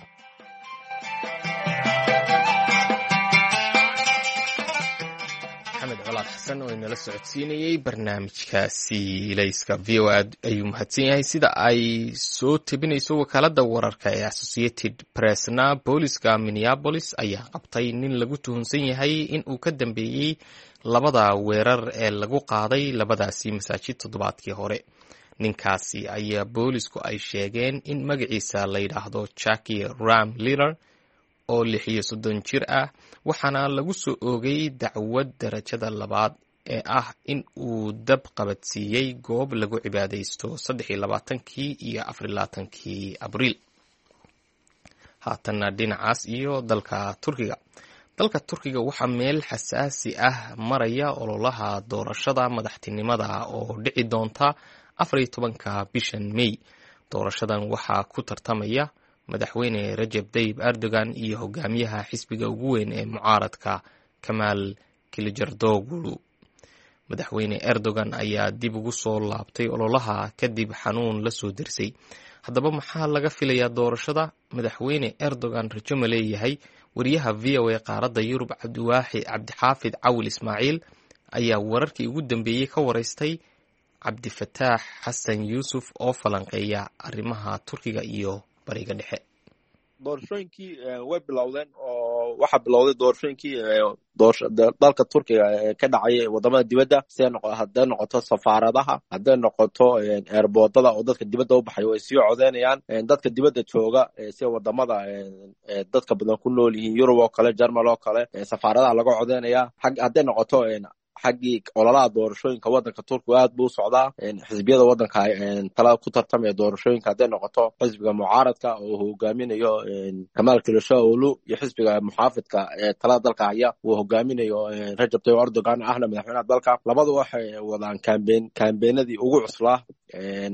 Maxamed Colaad Xasan oo inala socodsiinayey barnaamijkaasi Ilayska V O aad ayuu mahadsan yahay. Sida ay soo tebinayso wakaaladda wararka ee Associated Pressna, booliska Minneapolis ayaa qabtay nin lagu tuhunsan yahay in uu ka dambeeyey labada weerar ee lagu qaaday labadaasi masaajid toddobaadkii hore. Ninkaasi ayaa boolisku ay sheegeen in magaciisa la yidhaahdo Jackie Ram Liller oo 36 jir ah, waxaana lagu soo oogay dacwad darajada labaad ee ah in uu dab qabadsiiyey goob lagu cibaadaysto 23-kii iyo 24-kii Abriil. Haatanna dhinacaas iyo dalka Turkiga. Dalka Turkiga waxaa meel xasaasi ah maraya ololaha doorashada madaxtinimada oo dhici doonta 14-ka bishan May. Doorashadan waxaa ku tartamaya Madaxweyne Rajab Tayyib Erdogan iyo hogaamiyaha xisbiga ugu weyn ee mucaaradka, Kamaal Kilijardoglu. Madaxweyne Erdogan ayaa dib ugu soo laabtay ololaha kadib xanuun la soo dersay. Haddaba, maxaa laga filayaa doorashada? Madaxweyne Erdogan rajo ma leeyahay? Wariyaha VOA qaaradda Yurub, Cabdiwaaxi Cabdixaafid Cawil Ismaaciil, ayaa wararkii ugu dambeeyey ka wareystay Cabdifataax Xasan Yuusuf oo falanqeeya arrimaha Turkiga iyo Bariga Dhexe. Doorashooyinkii way bilowdeen oo waxaa bilowday doorashooyinkii dalka Turkiga ka dhacay wadamada dibadda, hadday noqoto safaaradaha, hadday noqoto eerboodada, oo dadka dibadda u baxay way sii codeynayaan. Dadka dibadda jooga, sida wadamada dadka badan ku nool yihiin, Yurub oo kale, Jarmal oo kale, safaaradaha laga codeynaya. Hadday noqoto xaggii ololaha doorashooyinka, waddanka Turkiga aad buu u socdaa. Xisbiyada waddanka tala ku tartamaya doorashooyinka, hadday noqoto xisbiga mucaaradka oo hogaaminayo Kamaal Kilishaolu iyo xisbiga muxaafidka ee talada dalka haya uu hogaaminayo Rajab Tayyip Erdogan, ahna madaxweynaha dalka, labadu waxay wadaan kambeenadii ugu cuslaa.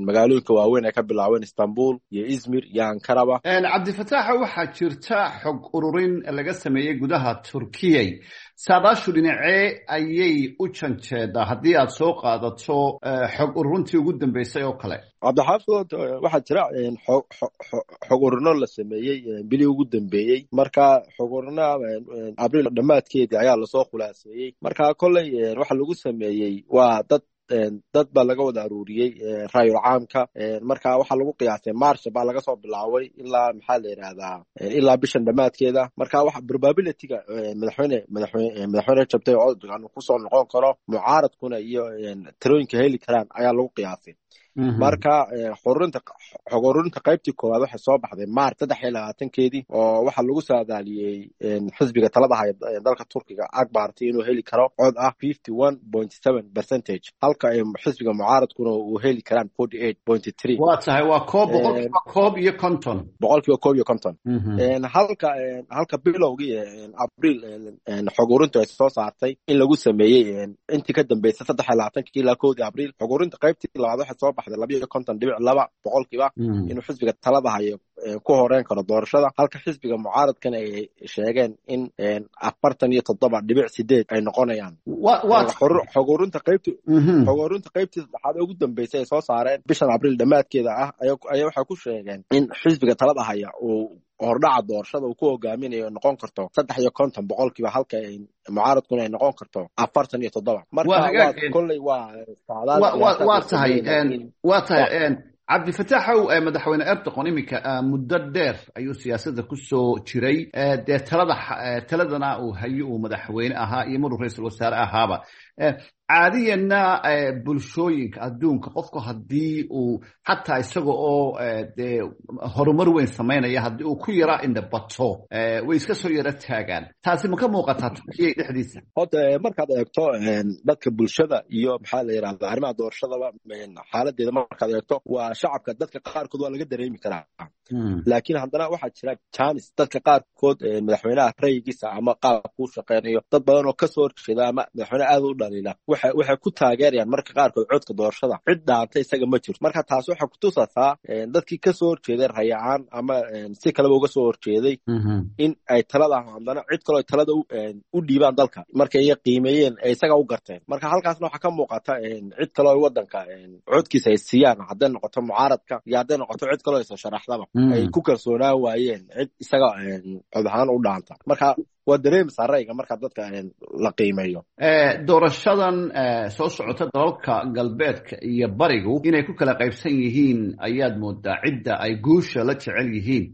Magaalooyinka waaweyn ay ka bilaabeen, Istanbul iyo Izmir iyo Ankaraba. Cabdifataaxa, waxaa jirta xog ururin laga sameeyey gudaha Turkiyay. Saadaashu dhinacee ayay u janjeedaa haddii aad soo qaadato xog ururintii ugu dambeysay oo kale? Cabdixaafid, waxaa jira xog ururino la sameeyey bilihii ugu dambeeyey. Marka xog ururinaha Abriil dhammaadkeedii ayaa lasoo khulaaseeyey. Marka kolley waxa lagu sameeyey waa dad baa laga wada aruuriyey raayul caamka. Marka waxaa lagu qiyaasay March baa laga soo bilaabay ilaa, maxaa la yidhahdaa, ilaa bishan dhammaadkeeda. Marka waxa probabilityga madaxweyne Rajab Tayyip Erdogan uu kusoo noqon karo, mucaaradkuna iyo tirooyinka heli karaan ayaa lagu qiyaasay. Marka xog ururinta qaybtii koowaad waxay soo baxday March 23-keedii, oo waxaa lagu saadaaliyey xisbiga talada haya dalka Turkiga, AK Party, inuu heli karo cod ah 51.7%, halka xisbiga mucaaradkuna uu heli karaan 48.3. Waa tahay, waa koob 51%. 51%. Halka bilowgii Abriil xog ururintu ay soo saartay in lagu sameeyey intii ka dambeysay 23-kii ilaa 1-dii Abriil, xog ururinta qaybtii labaad waxay soo baxday 52.2% inuu xisbiga talada hayo ku horeyn karo doorashada, halka xisbiga mucaaradkana ay sheegeen in 47.8 ay noqonayaan. Xog ururinta qaybtii saddexaad ee ugu dambeysay ay soo saareen bishan Abriil dhammaadkeeda ah ayaa waxay ku sheegeen in xisbiga talada haya uu hordhaca doorashada uu ku hogaaminayo noqon karto 53%, halka mucaaradkuna ay noqon karto 47. Marka kolley waa Waa tahay, Cabdifataaxow, Madaxweyne Erdogan iminka muddo dheer ayuu siyaasadda ku soo jiray, dee talada taladana uu hayo, uu madaxweyne ahaa iyo maruu ra-iisul wasaare ahaaba. Caadiyanna bulshooyinka adduunka, qofku haddii uu xataa isaga oo dee horumar weyn samaynaya, haddii uu ku yaraa indhabato, way iska soo yaro taagaan. Taasi ma ka muuqataa Turkiya dhexdiisa? Horta markaad eegto dadka bulshada iyo, maxaa la yidhahda, arrimaha doorashadaba xaaladeeda markaad eegto, waa shacabka dadka qaarkood waa laga dareemi karaa, laakiin haddana waxaa jira janis dadka qaarkood madaxweynaha rayigiisa ama qaabkuu shaqeynayo, dad badan oo kasoo horjeeda ama madaxweyne aad u dhaliila waxay ku taageerayaan marka qaarkood codka doorashada. Cid dhaanta isaga ma jirto. Marka taas waxay kutusataa dadkii kasoo horjeeday rayacaan ama si kaleba uga soo horjeeday in ay talada haddana cid kaloo talada u dhiibaan dalka markay iy qiimeeyeen ay isaga u garteen. Marka halkaasna waxaa ka muuqata cid kaloo wadanka codkiisa ay siiyaan, hadday noqoto mucaaradka iyo hadday noqoto cid kaloo isoo sharaxdaba, ay ku kalsoonaan waayeen cid isaga cod ahaan u dhaanta. Marka waa dareemaysaa ra'yiga marka dadka la qiimeeyo. Doorashadan soo socota, dalalka galbeedka iyo barigu inay ku kala qaybsan yihiin ayaad moodaa cidda ay guusha la jecel yihiin.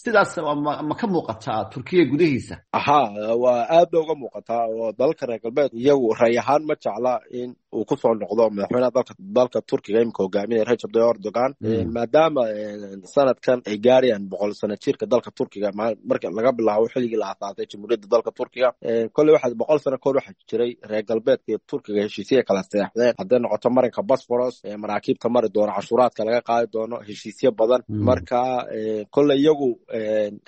Sidaas ma ka muuqataa Turkiya gudihiisa? Aha, waa aad bay uga muuqataa, oo dalalka reer galbeed iyagu ray ahaan ma jecla in uu kusoo noqdo madaxweynaha dalka Turkiga imika hogaaminaya Rajab Tayyip Erdogan, maadaama sanadkan ay gaarayaan 100 sano jirka dalka Turkiga marka laga bilaabo xilligii la aasaasay jamhuuriyadda dalka Turkiga. Kolley waxaa 100 sano kahor waxaa jiray reer galbeedka iyo Turkiga heshiisya kala seexdeen, hadday noqoto marinka Bosforos, maraakiibta mari doono cashuuraadka laga qaadi doono, heshiisyo badan. Marka kolley iyagu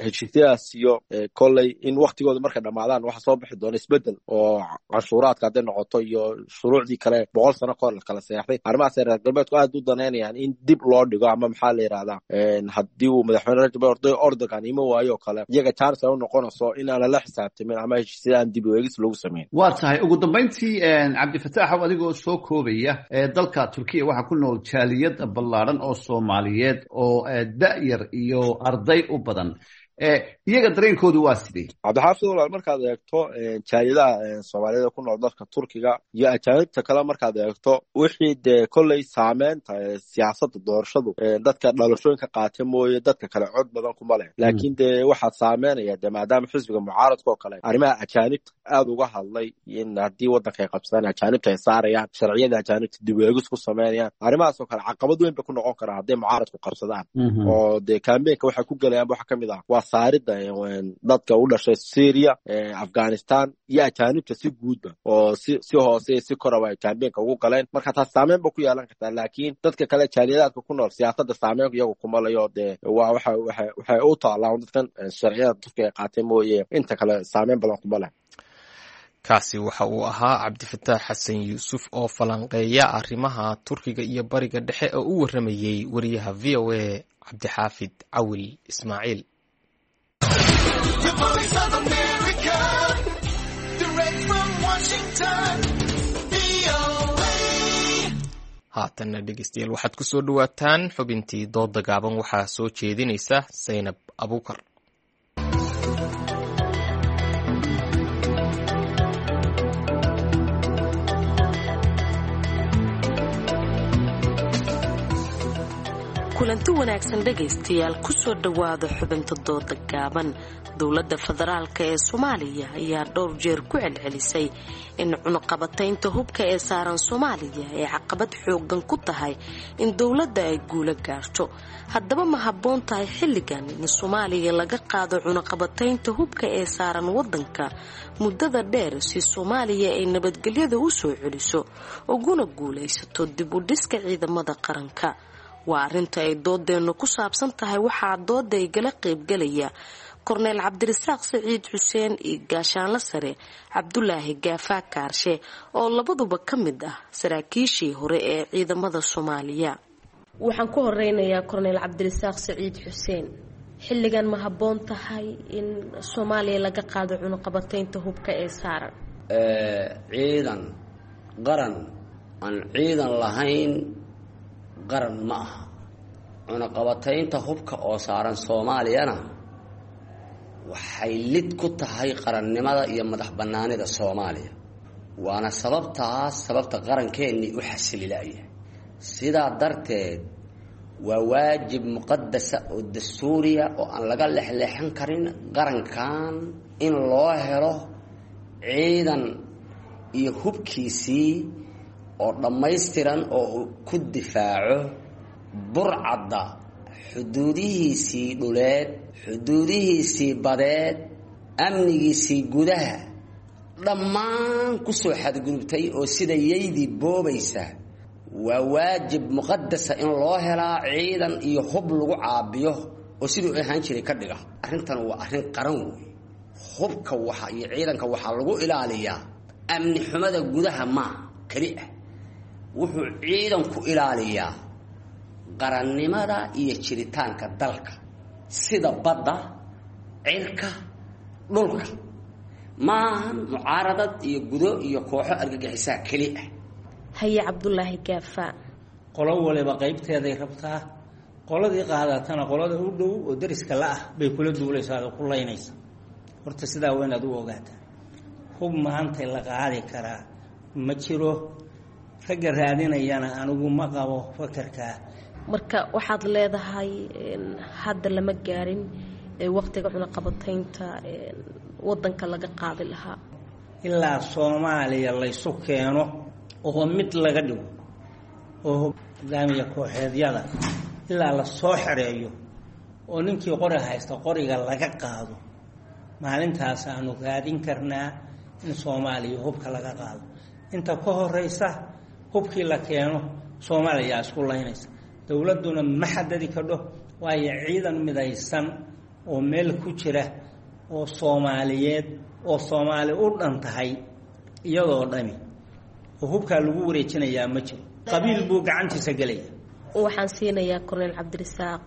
heshiisyadaas iyo kolley in waktigooda markay dhamaadaan waxa soo bixi doona isbedel oo canshuuraadka hadday noqoto iyo shuruucdii kale 100 sano kahor la kala seexday. Arrimahaas reer galbeedku aad u danaynayaan in dib loo dhigo, ama maxaa la yidhahdaa, haddii uu madaxweyne Rajab Erdogan ima waayo oo kale, iyaga chance ay u noqonayso inaan lala xisaabtamin ama heshiisyada aan dib u eegis lagu samayn. Waa tahay. Ugu dambayntii, Cabdifataaxow, adigoo soo koobaya, dalka Turkiya waxaa ku nool jaaliyad ballaadhan oo Soomaaliyeed oo da'yar iyo arday u badan. Iyaga dareenkoodu waa sidee? Cabdixaafid walaal, markaad eegto jaaliyadaha Soomaaliyada ku nool dalka Turkiga iyo ajaanibta kale, markaad eegto wixii dee kolley saameynta siyaasadda doorashadu, dadka dhalashooyinka qaata mooye dadka kale cod badan kuma leh. Laakiin dee waxaa saameynaya dee maadaama xisbiga mucaaradka oo kale arrimaha ajaanibta aada uga hadlay, in haddii waddanka ay qabsadaan ajaanibta ay saarayaan, sharciyada ajaanibta dib u eegis ku sameynayaan, arrimahaas oo kale caqabad weyn bay ku noqon karaan hadday mucaaradku qabsadaan. Oo dee kaambeenka waxay ku gelayaan waxa ka mid ah waa saarida dadka u dhashay Syria, Afghanistan iyo ajaanibta si guudba, oo si hoose iyo si koraba ay kaambeenka ugu galeen. Marka taas saameyn ba ku yeelan kartaa, laakiin dadka kale jaaliyadaadka ku nool siyaasadda saameyn iyagu kuma layo. Dee waa waxa waxay u taalaa dadkan sharciyada Turkiga ay qaatay mooye, inta kale saameyn badan kuma leh. Kaasi waxa uu ahaa Cabdifataax Xasan Yuusuf oo falanqeeya arrimaha Turkiga iyo Bariga Dhexe oo u warramayey wariyaha VOA Cabdixaafid Cawil Ismaaciil. Haatanna dhegeystayaal, waxaad ku soo dhowaataan xubintii dooda gaaban. Waxaa soo jeedinaysa Saynab Abuukar. Kulanti wanaagsan dhegaystayaal, kusoo dhowaada xubinta dooda gaaban. Dowladda federaalka ee Soomaaliya ayaa dhowr jeer ku celcelisay in cunuqabataynta hubka ee saaran Soomaaliya ay caqabad xoogan ku tahay in dowladda ay guulo gaarto. Haddaba ma habboon tahay xilligan in Soomaaliya laga qaado cunuqabataynta hubka ee saaran wadanka muddada dheer si Soomaaliya ay nabadgelyada u soo celiso uguna guulaysato dib u dhiska ciidamada qaranka? Waa arrinta ay doodeennu ku saabsan tahay. Waxaa dooda igala qaybgalaya Korneyl Cabdirasaaq Saciid Xuseen iyo Gaashaanla Sare Cabdulaahi Gaafaa Kaarshe, oo labaduba ka mid ah saraakiishii hore ee ciidamada Soomaaliya. Waxaan ku horeynayaa Korneyl Cabdirasaaq Saciid Xuseen. Xilligan ma habboon tahay in Soomaaliya laga qaado cunuqabataynta hubka ee saaran? Ciidan qaran aan ciidan lahayn qaran ma aha. Cunaqabataynta hubka oo saaran Soomaaliyana waxay lid ku tahay qarannimada iyo madax bannaanida Soomaaliya, waana sababtaas sababta qarankeenii u xasililaya. Sidaa darteed waa waajib muqadasa oo dastuuriya oo aan laga lexleexan karin qarankan in loo helo ciidan iyo hubkiisii oo dhammaystiran oo uu ku difaaco burcadda xuduudihiisii dhuleed, xuduudihiisii badeed, amnigiisii gudaha dhammaan ku soo xadgudubtay oo sida yaydii boobaysa. Waa waajib muqadasa in loo helaa ciidan iyo hub lagu caabiyo oo siduu ahaan jiray ka dhiga. Arrintan waa arrin qaran wey. Hubka waxa iyo ciidanka waxaa lagu ilaaliyaa amni xumada gudaha maa keli ah, wuxuu ciidanku ilaaliyaa qarannimada iyo jiritaanka dalka, sida badda, cirka, dhulka. Maahan mucaaradad iyo gudo iyo kooxo argagixisaa keli ah. Haye Cabdulaahi Gaafa. Qolo waliba qaybteeday rabtaa. Qoladii qaadatana qolada u dhow oo dariska la ah bay kula duulaysaa oo ku laynaysa. Horta sidaa waa inaad u ogaataa, hub maanta la qaadi karaa ma jiro. Ragga raadinayana anigu ma qabo fakarkaa. Marka waxaad leedahay hadda lama gaarin Waqtiga cunaqabataynta wadanka laga qaadi lahaa. Ilaa Soomaaliya laysu keeno oo mid laga dhigo oo hogaamiya kooxeedyada ilaa la soo xereeyo oo ninkii qori haysta qoriga laga qaado, maalintaas aanu raadin karnaa in Soomaaliya hubka laga qaado. Inta ka horeysa hubkii la keeno Soomaaliya isku laynaysa, dowladduna ma xadadi kadho, waayo ciidan midaysan oo meel ku jira oo Soomaaliyeed oo Soomaali u dhan tahay iyadoo dhami oo hubkaa lagu wareejinayaa ma jiro, qabiil buu gacantiisa gelaya. Waxaan siinayaa Korneyl Cabdirasaaq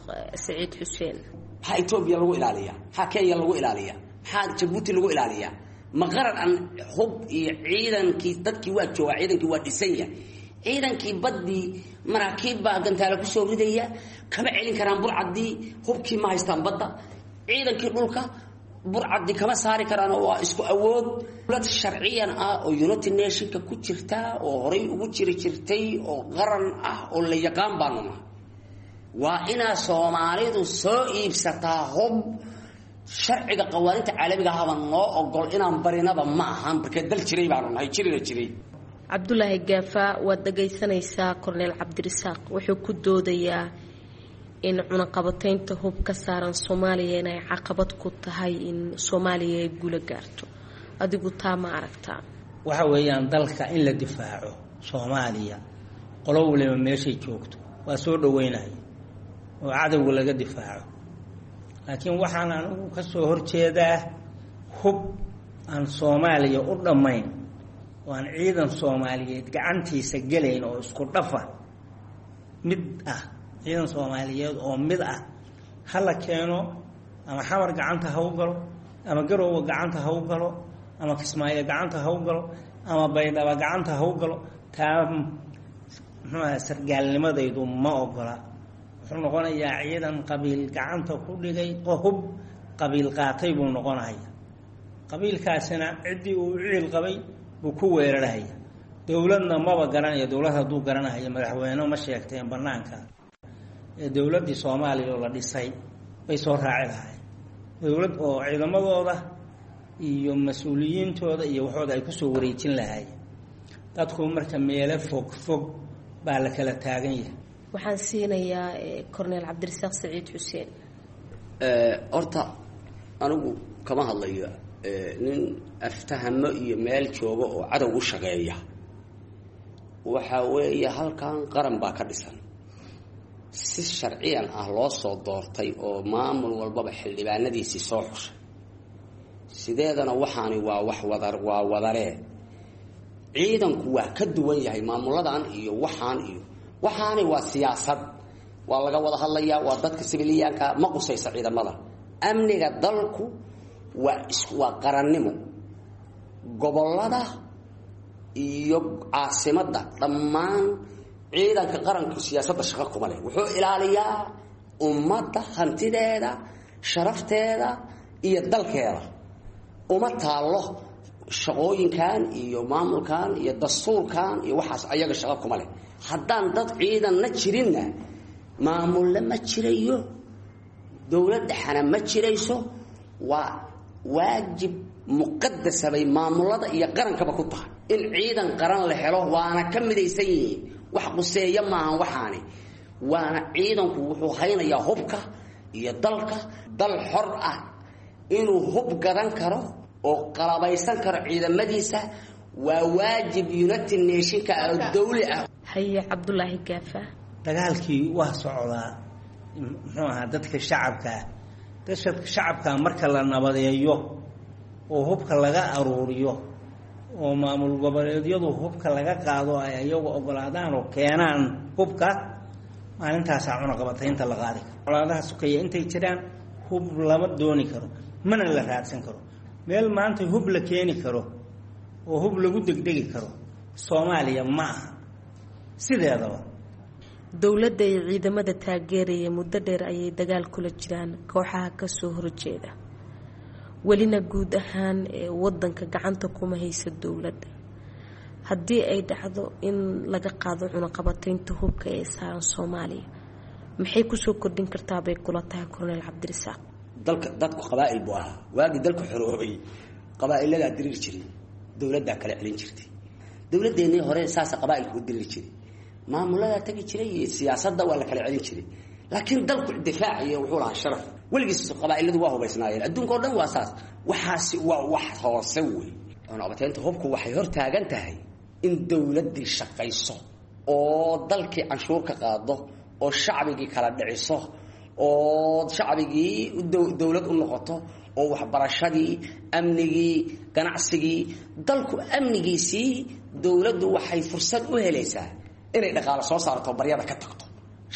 Saciid Xuseen. Maxaa Etoobiya lagu ilaaliyaa? Maxaa Kenya lagu ilaaliyaa? Maxaa Jabuuti lagu ilaaliyaa? Ma qaran aan hub iyo ciidankii dadkii waa joogaa, ciidankii waa dhisan yahay, ciidankii baddii maraakiib baa gantaale kusoo ridaya, kama celin karaan burcaddii, hubkii ma haystaan badda, ciidankii dhulka burcaddi kama saari karaan oo waa isku awood. Dowlad sharciyan ah oo United Nationka ku jirta oo horay ugu jiri jirtay oo qaran ah oo la yaqaan baanu nahay. Waa inaa Soomaalidu soo iibsataa hub. Sharciga qawaaninta caalamiga ahaba noo ogol inaan barinaba ma ahan, markee dal jiray baanu nahay, jirina jiray. Cabdulaahi Gaafa, waad dhagaysanaysaa Korneyl Cabdirasaaq wuxuu ku doodayaa in cunaqabataynta hub ka saaran Soomaaliya inay caqabad ku tahay in Soomaaliya ay guula gaarto. Adigu taa ma aragtaa? Waxa weeyaan dalka in la difaaco Soomaaliya, qolo waliba meeshay joogto waa soo dhaweynaya oo cadowga laga difaaco, laakiin waxaan anigu ka soo horjeedaa hub aan Soomaaliya u dhammayn oo aan ciidan Soomaaliyeed gacantiisa gelayn oo isku dhafa mid ah. Ciidan Soomaaliyeed oo mid ah ha la keeno, ama Xamar gacanta ha u galo, ama Garoowe gacanta ha u galo, ama Kismaayo gacanta ha u galo, ama Baydhaba gacanta ha u galo. Taa muxuu aha, sargaalnimadaydu ma ogola. Wuxuu noqonayaa ciidan qabiil gacanta ku dhigay oo hub qabiil qaatay buu noqonaya. Qabiilkaasina ciddii uu ciil qabay buu ku weerarhaya. Dowladna maba garanayo. Dowlad hadduu garanahayo madaxweyne ma sheegteen banaanka ee dowladdii Soomaaliya oo la dhisay bay soo raaci lahaayeen, dowlad oo ciidamadooda iyo mas-uuliyiintooda iyo waxooda ay kusoo wareejin lahaayeen. Dadku marka meelo fog fog baa la kala taagan yahay. Waxaan siinayaa Korneyl Cabdirasaaq Saciid Xuseen. Horta anigu kama hadlayo nin aftahamo iyo meel jooga oo cadow u shaqeeya. Waxa weeye halkan qaran baa ka dhisan, si sharciyan ah loo soo doortay oo maamul walbaba xildhibaanadiisii soo xushay. Sideedana waxaani waa wax wadar, waa wadaree. Ciidanku waa ka duwan yahay maamuladan iyo waxaan iyo waxaani waa siyaasad, waa laga wada hadlayaa, waa dadka sibiliyaanka ma qusaysa ciidamada. Amniga dalku waa qarannimo. Gobollada iyo caasimadda dhammaan ciidanka qaranku siyaasadda shaqo kuma leh. Wuxuu ilaaliyaa ummadda hantideeda, sharafteeda iyo dalkeeda. Uma taallo shaqooyinkan iyo maamulkan iyo dastuurkan iyo waxaas, ayaga shaqo kuma leh. Haddaan dad ciidanna jirinna maamulle ma jirayo, dowlad dhexana ma jirayso. Waa waajib muqadasa bay maamulada iyo qarankaba ku tahay in ciidan qaran la helo, waana ka midaysan yihiin. Wax quseeya maahan waxaani, waana ciidanku wuxuu haynayaa hubka iyo dalka. Dal xor ah inuu hub gadan karo oo qalabaysan karo ciidamadiisa waa waajib United Nationka oo dawli ah. Haye Cabdulaahi Gaafa. Dagaalkii waa socdaa, muxuu ahaa, dadka shacabkaa, dadka shacabkaa marka la nabadeeyo oo hubka laga aruuriyo oo maamul goboleedyadu hubka laga qaado, ay iyagu ogolaadaan oo keenaan hubka, maalintaasaa cunaqabataynta la qaadi karo. Colaadaha sukeeya intay jiraan hub lama dooni karo, mana la raadsan karo. Meel maanta hub la keeni karo oo hub lagu degdegi karo Soomaaliya ma aha sideedaba. Dowladda iyo ciidamada taageeraya muddo dheer ayay dagaal kula jiraan kooxaha kasoo horjeeda, welina guud ahaan wadanka gacanta kuma haysa dowladda. Haddii ay dhacdo in laga qaado cunaqabataynta hubka ee saaran Soomaaliya, maxay kusoo kordhin kartaa bay kula tahay Korneyl Cabdirasaaq? Dalka dadku qabaa'il buu ahaa. Waagii dalku xoroobay qabaa'iladaa diriiri jiray, dowladdaa kala celin jirtay. Dowladdeenii hore saasa qabaa'ilku u diriri jiray, maamuladaa tagi jiray iyo siyaasadda waa la kala celin jiray. Laakiin dalku difaaciyo wuxuu lahaa sharaf. Weligiis qabaa'iladu waa hubaysnaayeen, adduunka o dhan waa saas. Waxaasi waa wax hoose wey. Cunaqabataynta hubku waxay hor taagan tahay in dowladdii shaqayso oo dalkii canshuur ka qaado oo shacbigii kala dhiciso oo shacbigii dowlad u noqoto oo waxbarashadii, amnigii, ganacsigii, dalku amnigiisii. Dowladdu waxay fursad u helaysaa inay dhaqaalo soo saarto, baryada ka tagto,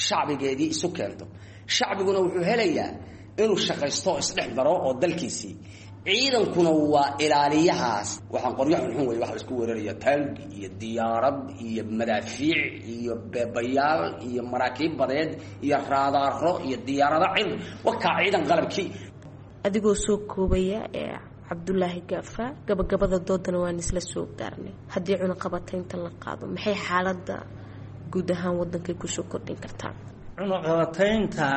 shacbigeedii isu keento. Shacbiguna wuxuu helayaa inuu shaqaysto oo isdhex maro oo dalkiisii. Ciidankuna waa ilaaliyahaas. Waxaan qoryo xunxun wey waxa la isku weeraraya, taangi iyo diyaarad iyo madaafiic iyo beebayaal iyo maraakiib badeed iyo raadaaro iyo diyaarado cir wakaa ciidan qalabkii. Adigoo soo koobaya ee Cabdulaahi Gaafa, gabagabada doodana waan isla soo gaarnay. Haddii cunaqabataynta la qaado, maxay xaaladda guud ahaan wadankay kusoo kordhin kartaa? Cunaqabataynta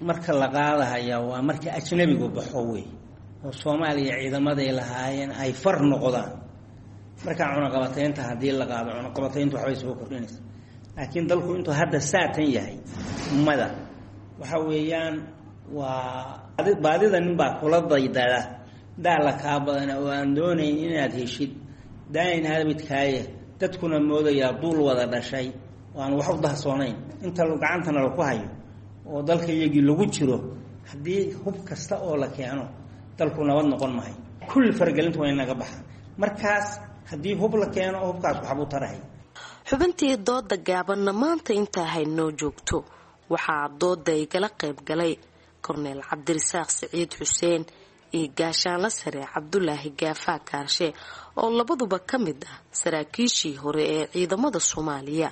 marka la qaadahaya waa marka ajnabigu baxo wey, oo Soomaaliya ciidamaday lahaayeen ay far noqdaan. Markaa cunaqabataynta haddii la qaado, cunaqabatayntu waxbay soo kordhinaysa. Laakiin dalku intuu hadda saatan yahay mada waxa weeyaan waa baadida ninbaa kula daydada daala kaa badana oo aan doonayn inaad heshid daain habidkaaye. Dadkuna moodayaa duul wada dhashay oo aan wax u dahsoonayn inta gacantana laku hayo oo dalka iyagii lagu jiro. Haddii hub kasta oo la keeno, dalku nabad noqon maayo. Kulli faragelinta waa inaga baxa. Markaas haddii hub la keeno, hubkaas waxbuu tarahay. Xubintii dooda gaabanna maanta intaa haynoo joogto. Waxaa dooda igala qayb galay Korneel Cabdirasaaq Siciid Xuseen iyo Gaashaanla Sare Cabdulaahi Gaafaa Kaarshe, oo labaduba ka mid ah saraakiishii hore ee ciidamada Soomaaliya.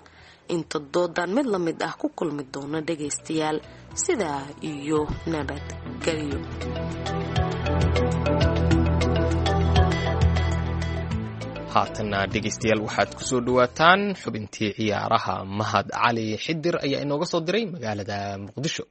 Inta doodan mid la mid ah ku kulmi doona dhagaystayaal, sidaa iyo nabadgelyo. Haatanna dhegaystayaal, waxaad kusoo dhawaataan xubintii ciyaaraha. Mahad Cali Xidir ayaa inooga soo diray magaalada Muqdisho.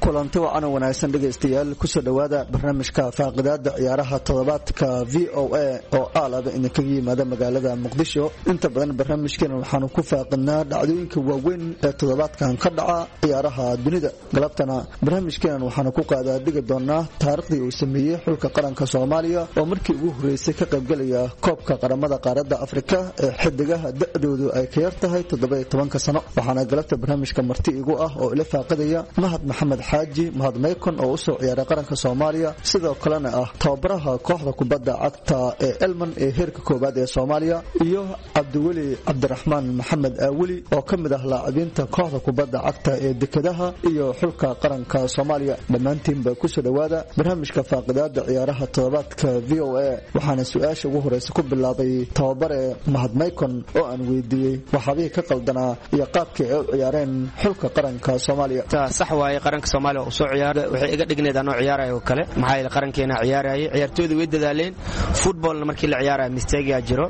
Kulanti wacan oo wanaagsan dhegaystayaal, kusoo dhowaada barnaamijka faaqidaada ciyaaraha toddobaadka VOA oo aalaba idinkaga yimaada magaalada Muqdisho. Inta badan barnaamijkeena waxaanu ku faaqidnaa dhacdooyinka waaweyn ee toddobaadkan ka dhaca ciyaaraha dunida. Galabtana barnaamijkeenan waxaanu ku qaadaadhigi doonaa taariikhdii uu sameeyey xulka qaranka Soomaaliya oo markii ugu horreysay ka qaybgelaya koobka qaramada qaaradda Afrika ee xidigaha da-doodu ay ka yar tahay 17-ka sano. Waxaana galabta barnaamijka marti igu ah oo ila faaqidaya Mahad Maxamed Xaaji, Mahad Maykon, oo usoo ciyaaray qaranka Soomaaliya, sidoo kalena ah tababaraha kooxda kubadda cagta ee Elman ee heerka koowaad ee Soomaaliya, iyo Cabdiweli Cabdiraxmaan Maxamed Aaweli oo ka mid ah laacibiinta kooxda kubadda cagta ee Dekedaha iyo xulka qaranka Soomaaliya. Dhammaantiinba kusoo dhowaada barnaamijka faaqidaada ciyaaraha toddobaadka VOA. Waxaana su-aasha ugu horeysa ku bilaabay tababare Mahad Maykon oo aan weydiiyey waxaabihii ka qaldanaa iyo qaabkii ay u ciyaareen xulka qaranka Soomaaliya. Sax waaye, qaranka Soomaaliya oo soo ciyaaray waxay iga dhigneed anoo ciyaarayo oo kale, maxaa yeelay qarankeena ciyaarayay, ciyaartooydu way dadaaleen. Footballna markii la ciyaarayo mistake jiro,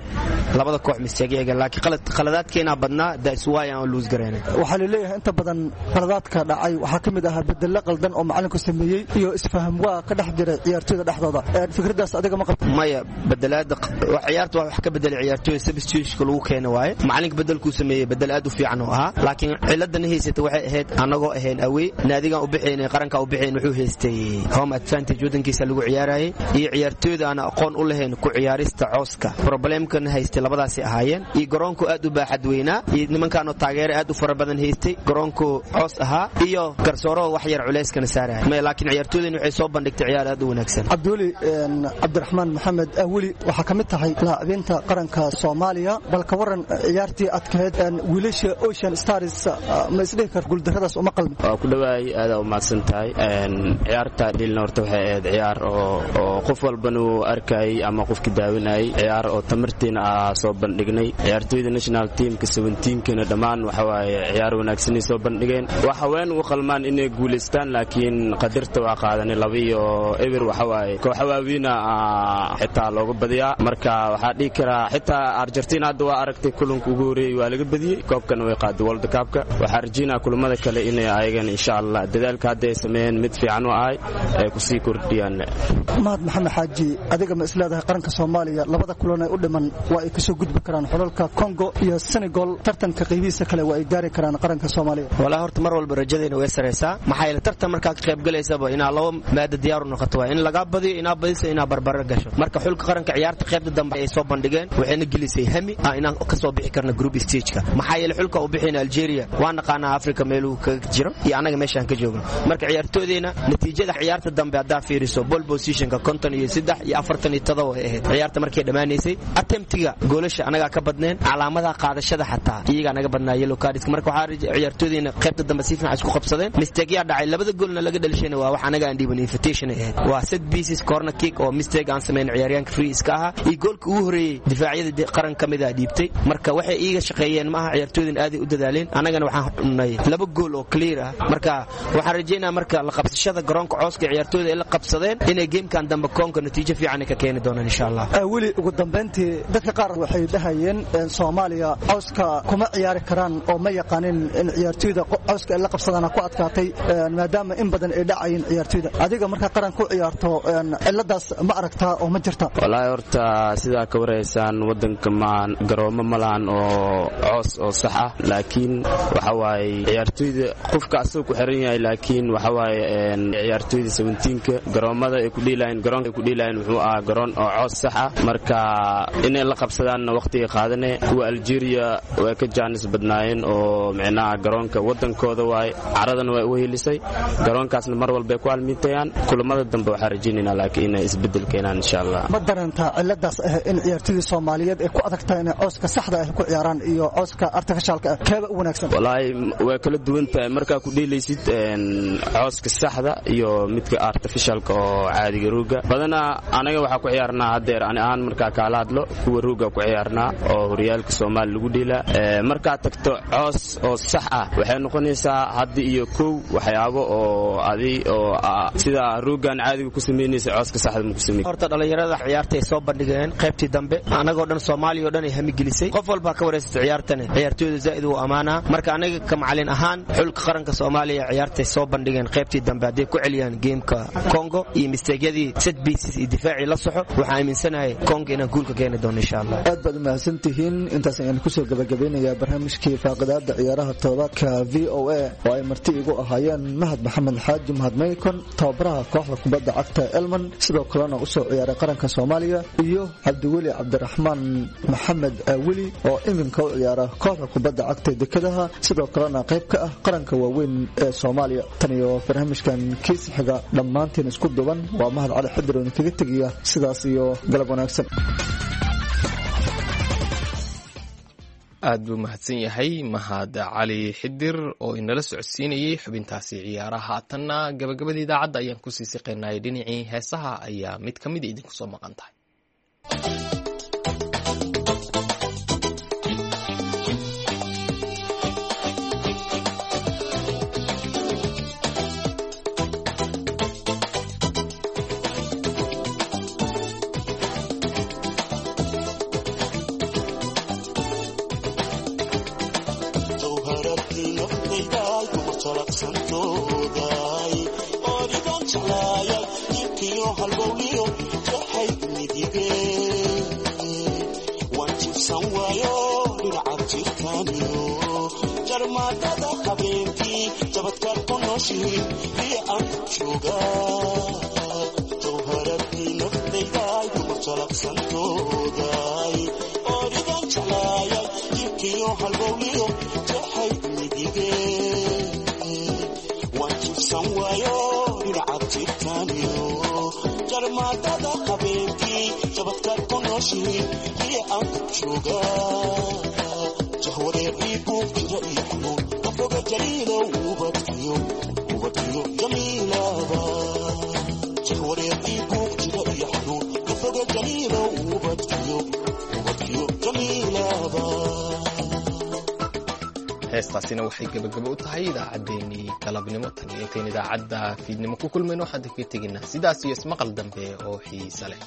labada koox mistake iyaga, laakiin qaladaadkeena badnaa, that's why aan lose gareynay. Waxaa la leeyahay inta badan qaladaadka dhacay waxaa ka mid ahaa bedelo qaldan oo macalinku sameeyey iyo isfaham waa ka dhex jiray ciyaartooyda dhexdooda. Fikradaas adiga ma qabto? Maya, bedelaada ciyaarta wax ka bedelay ciyaartooyda substitution lagu keeno waaye. Macalinka bedelkuu sameeyey bedel aad u fiican oo ahaa, laakiin ciladana haysata waxay ahayd anagoo ahayn away, naadigan u bixaynay, qaranka u bixayn wuxuu haystay home advantage, wadankiisa lagu ciyaarayay, iyo ciyaartooyda aan aqoon u lahayn ku ciyaarista cooska. Problemkan haystay labadaasi ahaayeen, iyo garoonku aad u baaxad weynaa, iyo nimankaanoo taageero aad u fara badan haystay, garoonku coos ahaa, iyo garsooro wax yar culeyskana saaraya. Maya, laakiin ciyaartooydan waxay soo bandhigtay ciyaar aad u wanaagsan. Cabdiweli Cabdiraxmaan Maxamed Aweli, waxaa ka mid tahay laacibiinta qaranka Soomaaliya. Bal ka waran ciyaartii adkayd wiilasha Ocean Stars, ma isdhihi kar guuldarradaas uma qalmin? Waa ku dhawaay, aada u mahadsan. mahadsan tahay. Ciyaarta dhilna horta waxay ahayd ciyaar oo qof walbana uu arkayay ama qofki daawinayay, ciyaar oo tamartiina aa soo bandhignay. Ciyaartooyda national teamka 17-kana dhammaan waxa waaye ciyaar wanaagsanay soo bandhigeen. Waa haween ugu qalmaan inay guulaystaan, laakiin qadirta waa qaadanay 2-0. Waxa waaye kooxa waawiina xitaa looga badiyaa. Marka waxaa dhihi karaa xitaa Argentina hadda waa aragtay kulanka ugu horeeyey waa laga badiyey, koobkana way qaaday World Cup-ka. Waxaa rajeynaa kulamada kale inay ayagana insha Allah dadaalka hadda ay sameeyeen mid fiican u ahay ay kusii kordhiyaan. Mahad Maxamed Xaaji, adiga ma isleedahay qaranka Soomaaliya labada kulan ee u dhiman waa ay kasoo gudbi karaan xulalka Congo iyo Senegal, tartanka qaybihiisa kale waa ay gaari karaan qaranka Soomaaliya? Walaa horta mar walba rajadeena way sareysaa, maxaa yeelay tartan markaa ka qayb galaysaba inaa laba maada diyaar u noqoto, waa in lagaa badiyo, inaa badiso, inaa barbaro gasho. Marka xulka qaranka ciyaarta qaybta dambe ay soo bandhigeen waxayna gelisay hami ah inaan kasoo bixi karno group stageka, maxaa yeelay xulka u bixina Algeria waa naqaanaa Africa meeluu kaga jiro iyo anaga meeshaan ka joogno. Marka ciyaartoodeena natiijada ciyaarta dambe haddaa fiiriso ball positionka 53 iyo 47 ay ahayd ciyaarta markay dhammaanaysay. Attemptiga goolasha anagaa ka badneen, calaamadaha qaadashada xataa iyagaa naga badnaa, yellow cards. Marka waxaa ciyaartoodeena qaybta dambe si fiican isku qabsadeen. Mistake yaa dhacay, labada goolna laga dhalishayna waa wax anaga aan dhiiban, invitation ay ahayd, waa set pieces, corner kick oo mistake aan samayn ciyaaryahanka free iska ahaa iyo goolka ugu horeeyey difaacyada qaran ka mid ah dhiibtay. Marka waxay iiga shaqeeyeen maaha, ciyaartooydan aaday u dadaaleen, annagana waxaan cunay 2 gool oo clear ah. Marka waxaan rajeynaa marka la qabsashada garoonka cooska ciyaartooyda ay la qabsadeen inay gamekan dambe koonka natiijo fiican ay ka keeni doonaan insha Allah. Weli ugu dambeyntii dadka qaar waxay dhahayeen Soomaaliya cooska kuma ciyaari karaan oo ma yaqaanin in ciyaartooyda cooska ay la qabsadaan ku adkaatay, maadaama in badan ay dhacayeen ciyaartooyda. Adiga marka qaran ku ciyaarto ciladaas ma aragtaa oo ma jirta? Walaahi horta sidaa ka wareysaan wadanka ma garoomo ma lahan oo coos oo sax ah, laakiin waxa waaye ciyaartooyda qofka asagoo ku xiran yahay, laakiin waxa waaye ciyaartooyda 17-ka garoomada ay ku dhiilayeen, garoonka ay ku dhiilayeen wuxuu ahaa garoon oo coos sax ah. Marka inay la qabsadaanna waqtiga qaadane. Kuwa Algeria way ka jaanis badnaayeen oo micnaha garoonka wadankooda waaye, caradana way u helisay, garoonkaasna mar walba ay ku almiintayaan. Kulamada dambe waxaa rajaynaynaa laakiin inay isbeddel keenaan insha Allah. Ma dareentaa ciladaas ah in ciyaartooyda Soomaaliyeed ay ku adag tahay inay cooska saxda ah ku ciyaaraan iyo cooska artificialka ah keeba u wanaagsan? Walaahi way kala duwan tahay markaa ku dheelaysid cooska saxda iyo midka artificialka oo caadiga rooga. Badanaa anaga waxaa ku ciyaarnaa haddeer ani ahaan markaa kaala hadlo kuwa rooga ku ciyaarnaa oo horyaalka Soomaali lagu dheelaa. Markaa tagto coos oo sax ah waxay noqonaysaa hadda iyo kow waxyaabo oo adi oo sida roogan caadiga ku samaynaysa cooska saxda ma ku samayn. Horta dhalinyarada ciyaarta ay soo bandhigeen qaybtii dambe anagoo dhan Soomaaliya oo dhan ay hami gelisay, qof walba ka wareysatay ciyaartani, ciyaartooyda zaa'id uu amaanaa. Marka anaga ka macalin ahaan xulka qaranka Soomaaliya ciyaartay soo bandhigeen qaybtii dambe hadday ku celiyaan geemka Congo iyo misteegyadii set pieces iyo difaacii la soxo, waxaan aaminsanahay Congo inaan guul ka keeni doono insha Allah. Aad baad u mahadsantihiin. Intaas ayaan kusoo gabagabeynayaa barnaamijkii faaqidaada ciyaaraha todobaadka VOA oo ay marti igu ahaayeen Mahad Maxamed Xaaji Mahad Maykon, tababaraha kooxda kubadda cagta Elman, sidoo kalena u soo ciyaaray qaranka Soomaaliya, iyo Cabdiweli Cabdiraxmaan Maxamed Weli oo iminka u ciyaara kooxda kubadda cagta dekedaha, sidoo kalena qayb ka ah qaranka waaweyn ee Soomaaliya. Tan iyo barnaamijkan kiis xiga dhammaantiin isku duban waa Mahad Cali Xidir oo idinkaga tegiya sidaas iyo galab wanaagsan. Aad buu mahadsan yahay Mahad Cali Xidir oo inala socodsiinayey xubintaasi ciyaaraha. Haatanna gabagabada idaacadda ayaan kusii siqaynay, dhinacii heesaha ayaa mid ka mid idinku soo maqan tahay. Jahwareer ii buuq jira iyo xanuun ka foga jaliilow ubadkiyo. Heestaasina waxay gebagabo u tahay idaacaddeenii galabnimo. Tan iyo intayn idaacadda fiidnimo ku kulmayno, waxaan kaga tegaynaa sidaas iyo ismaqal dambe oo xiise leh.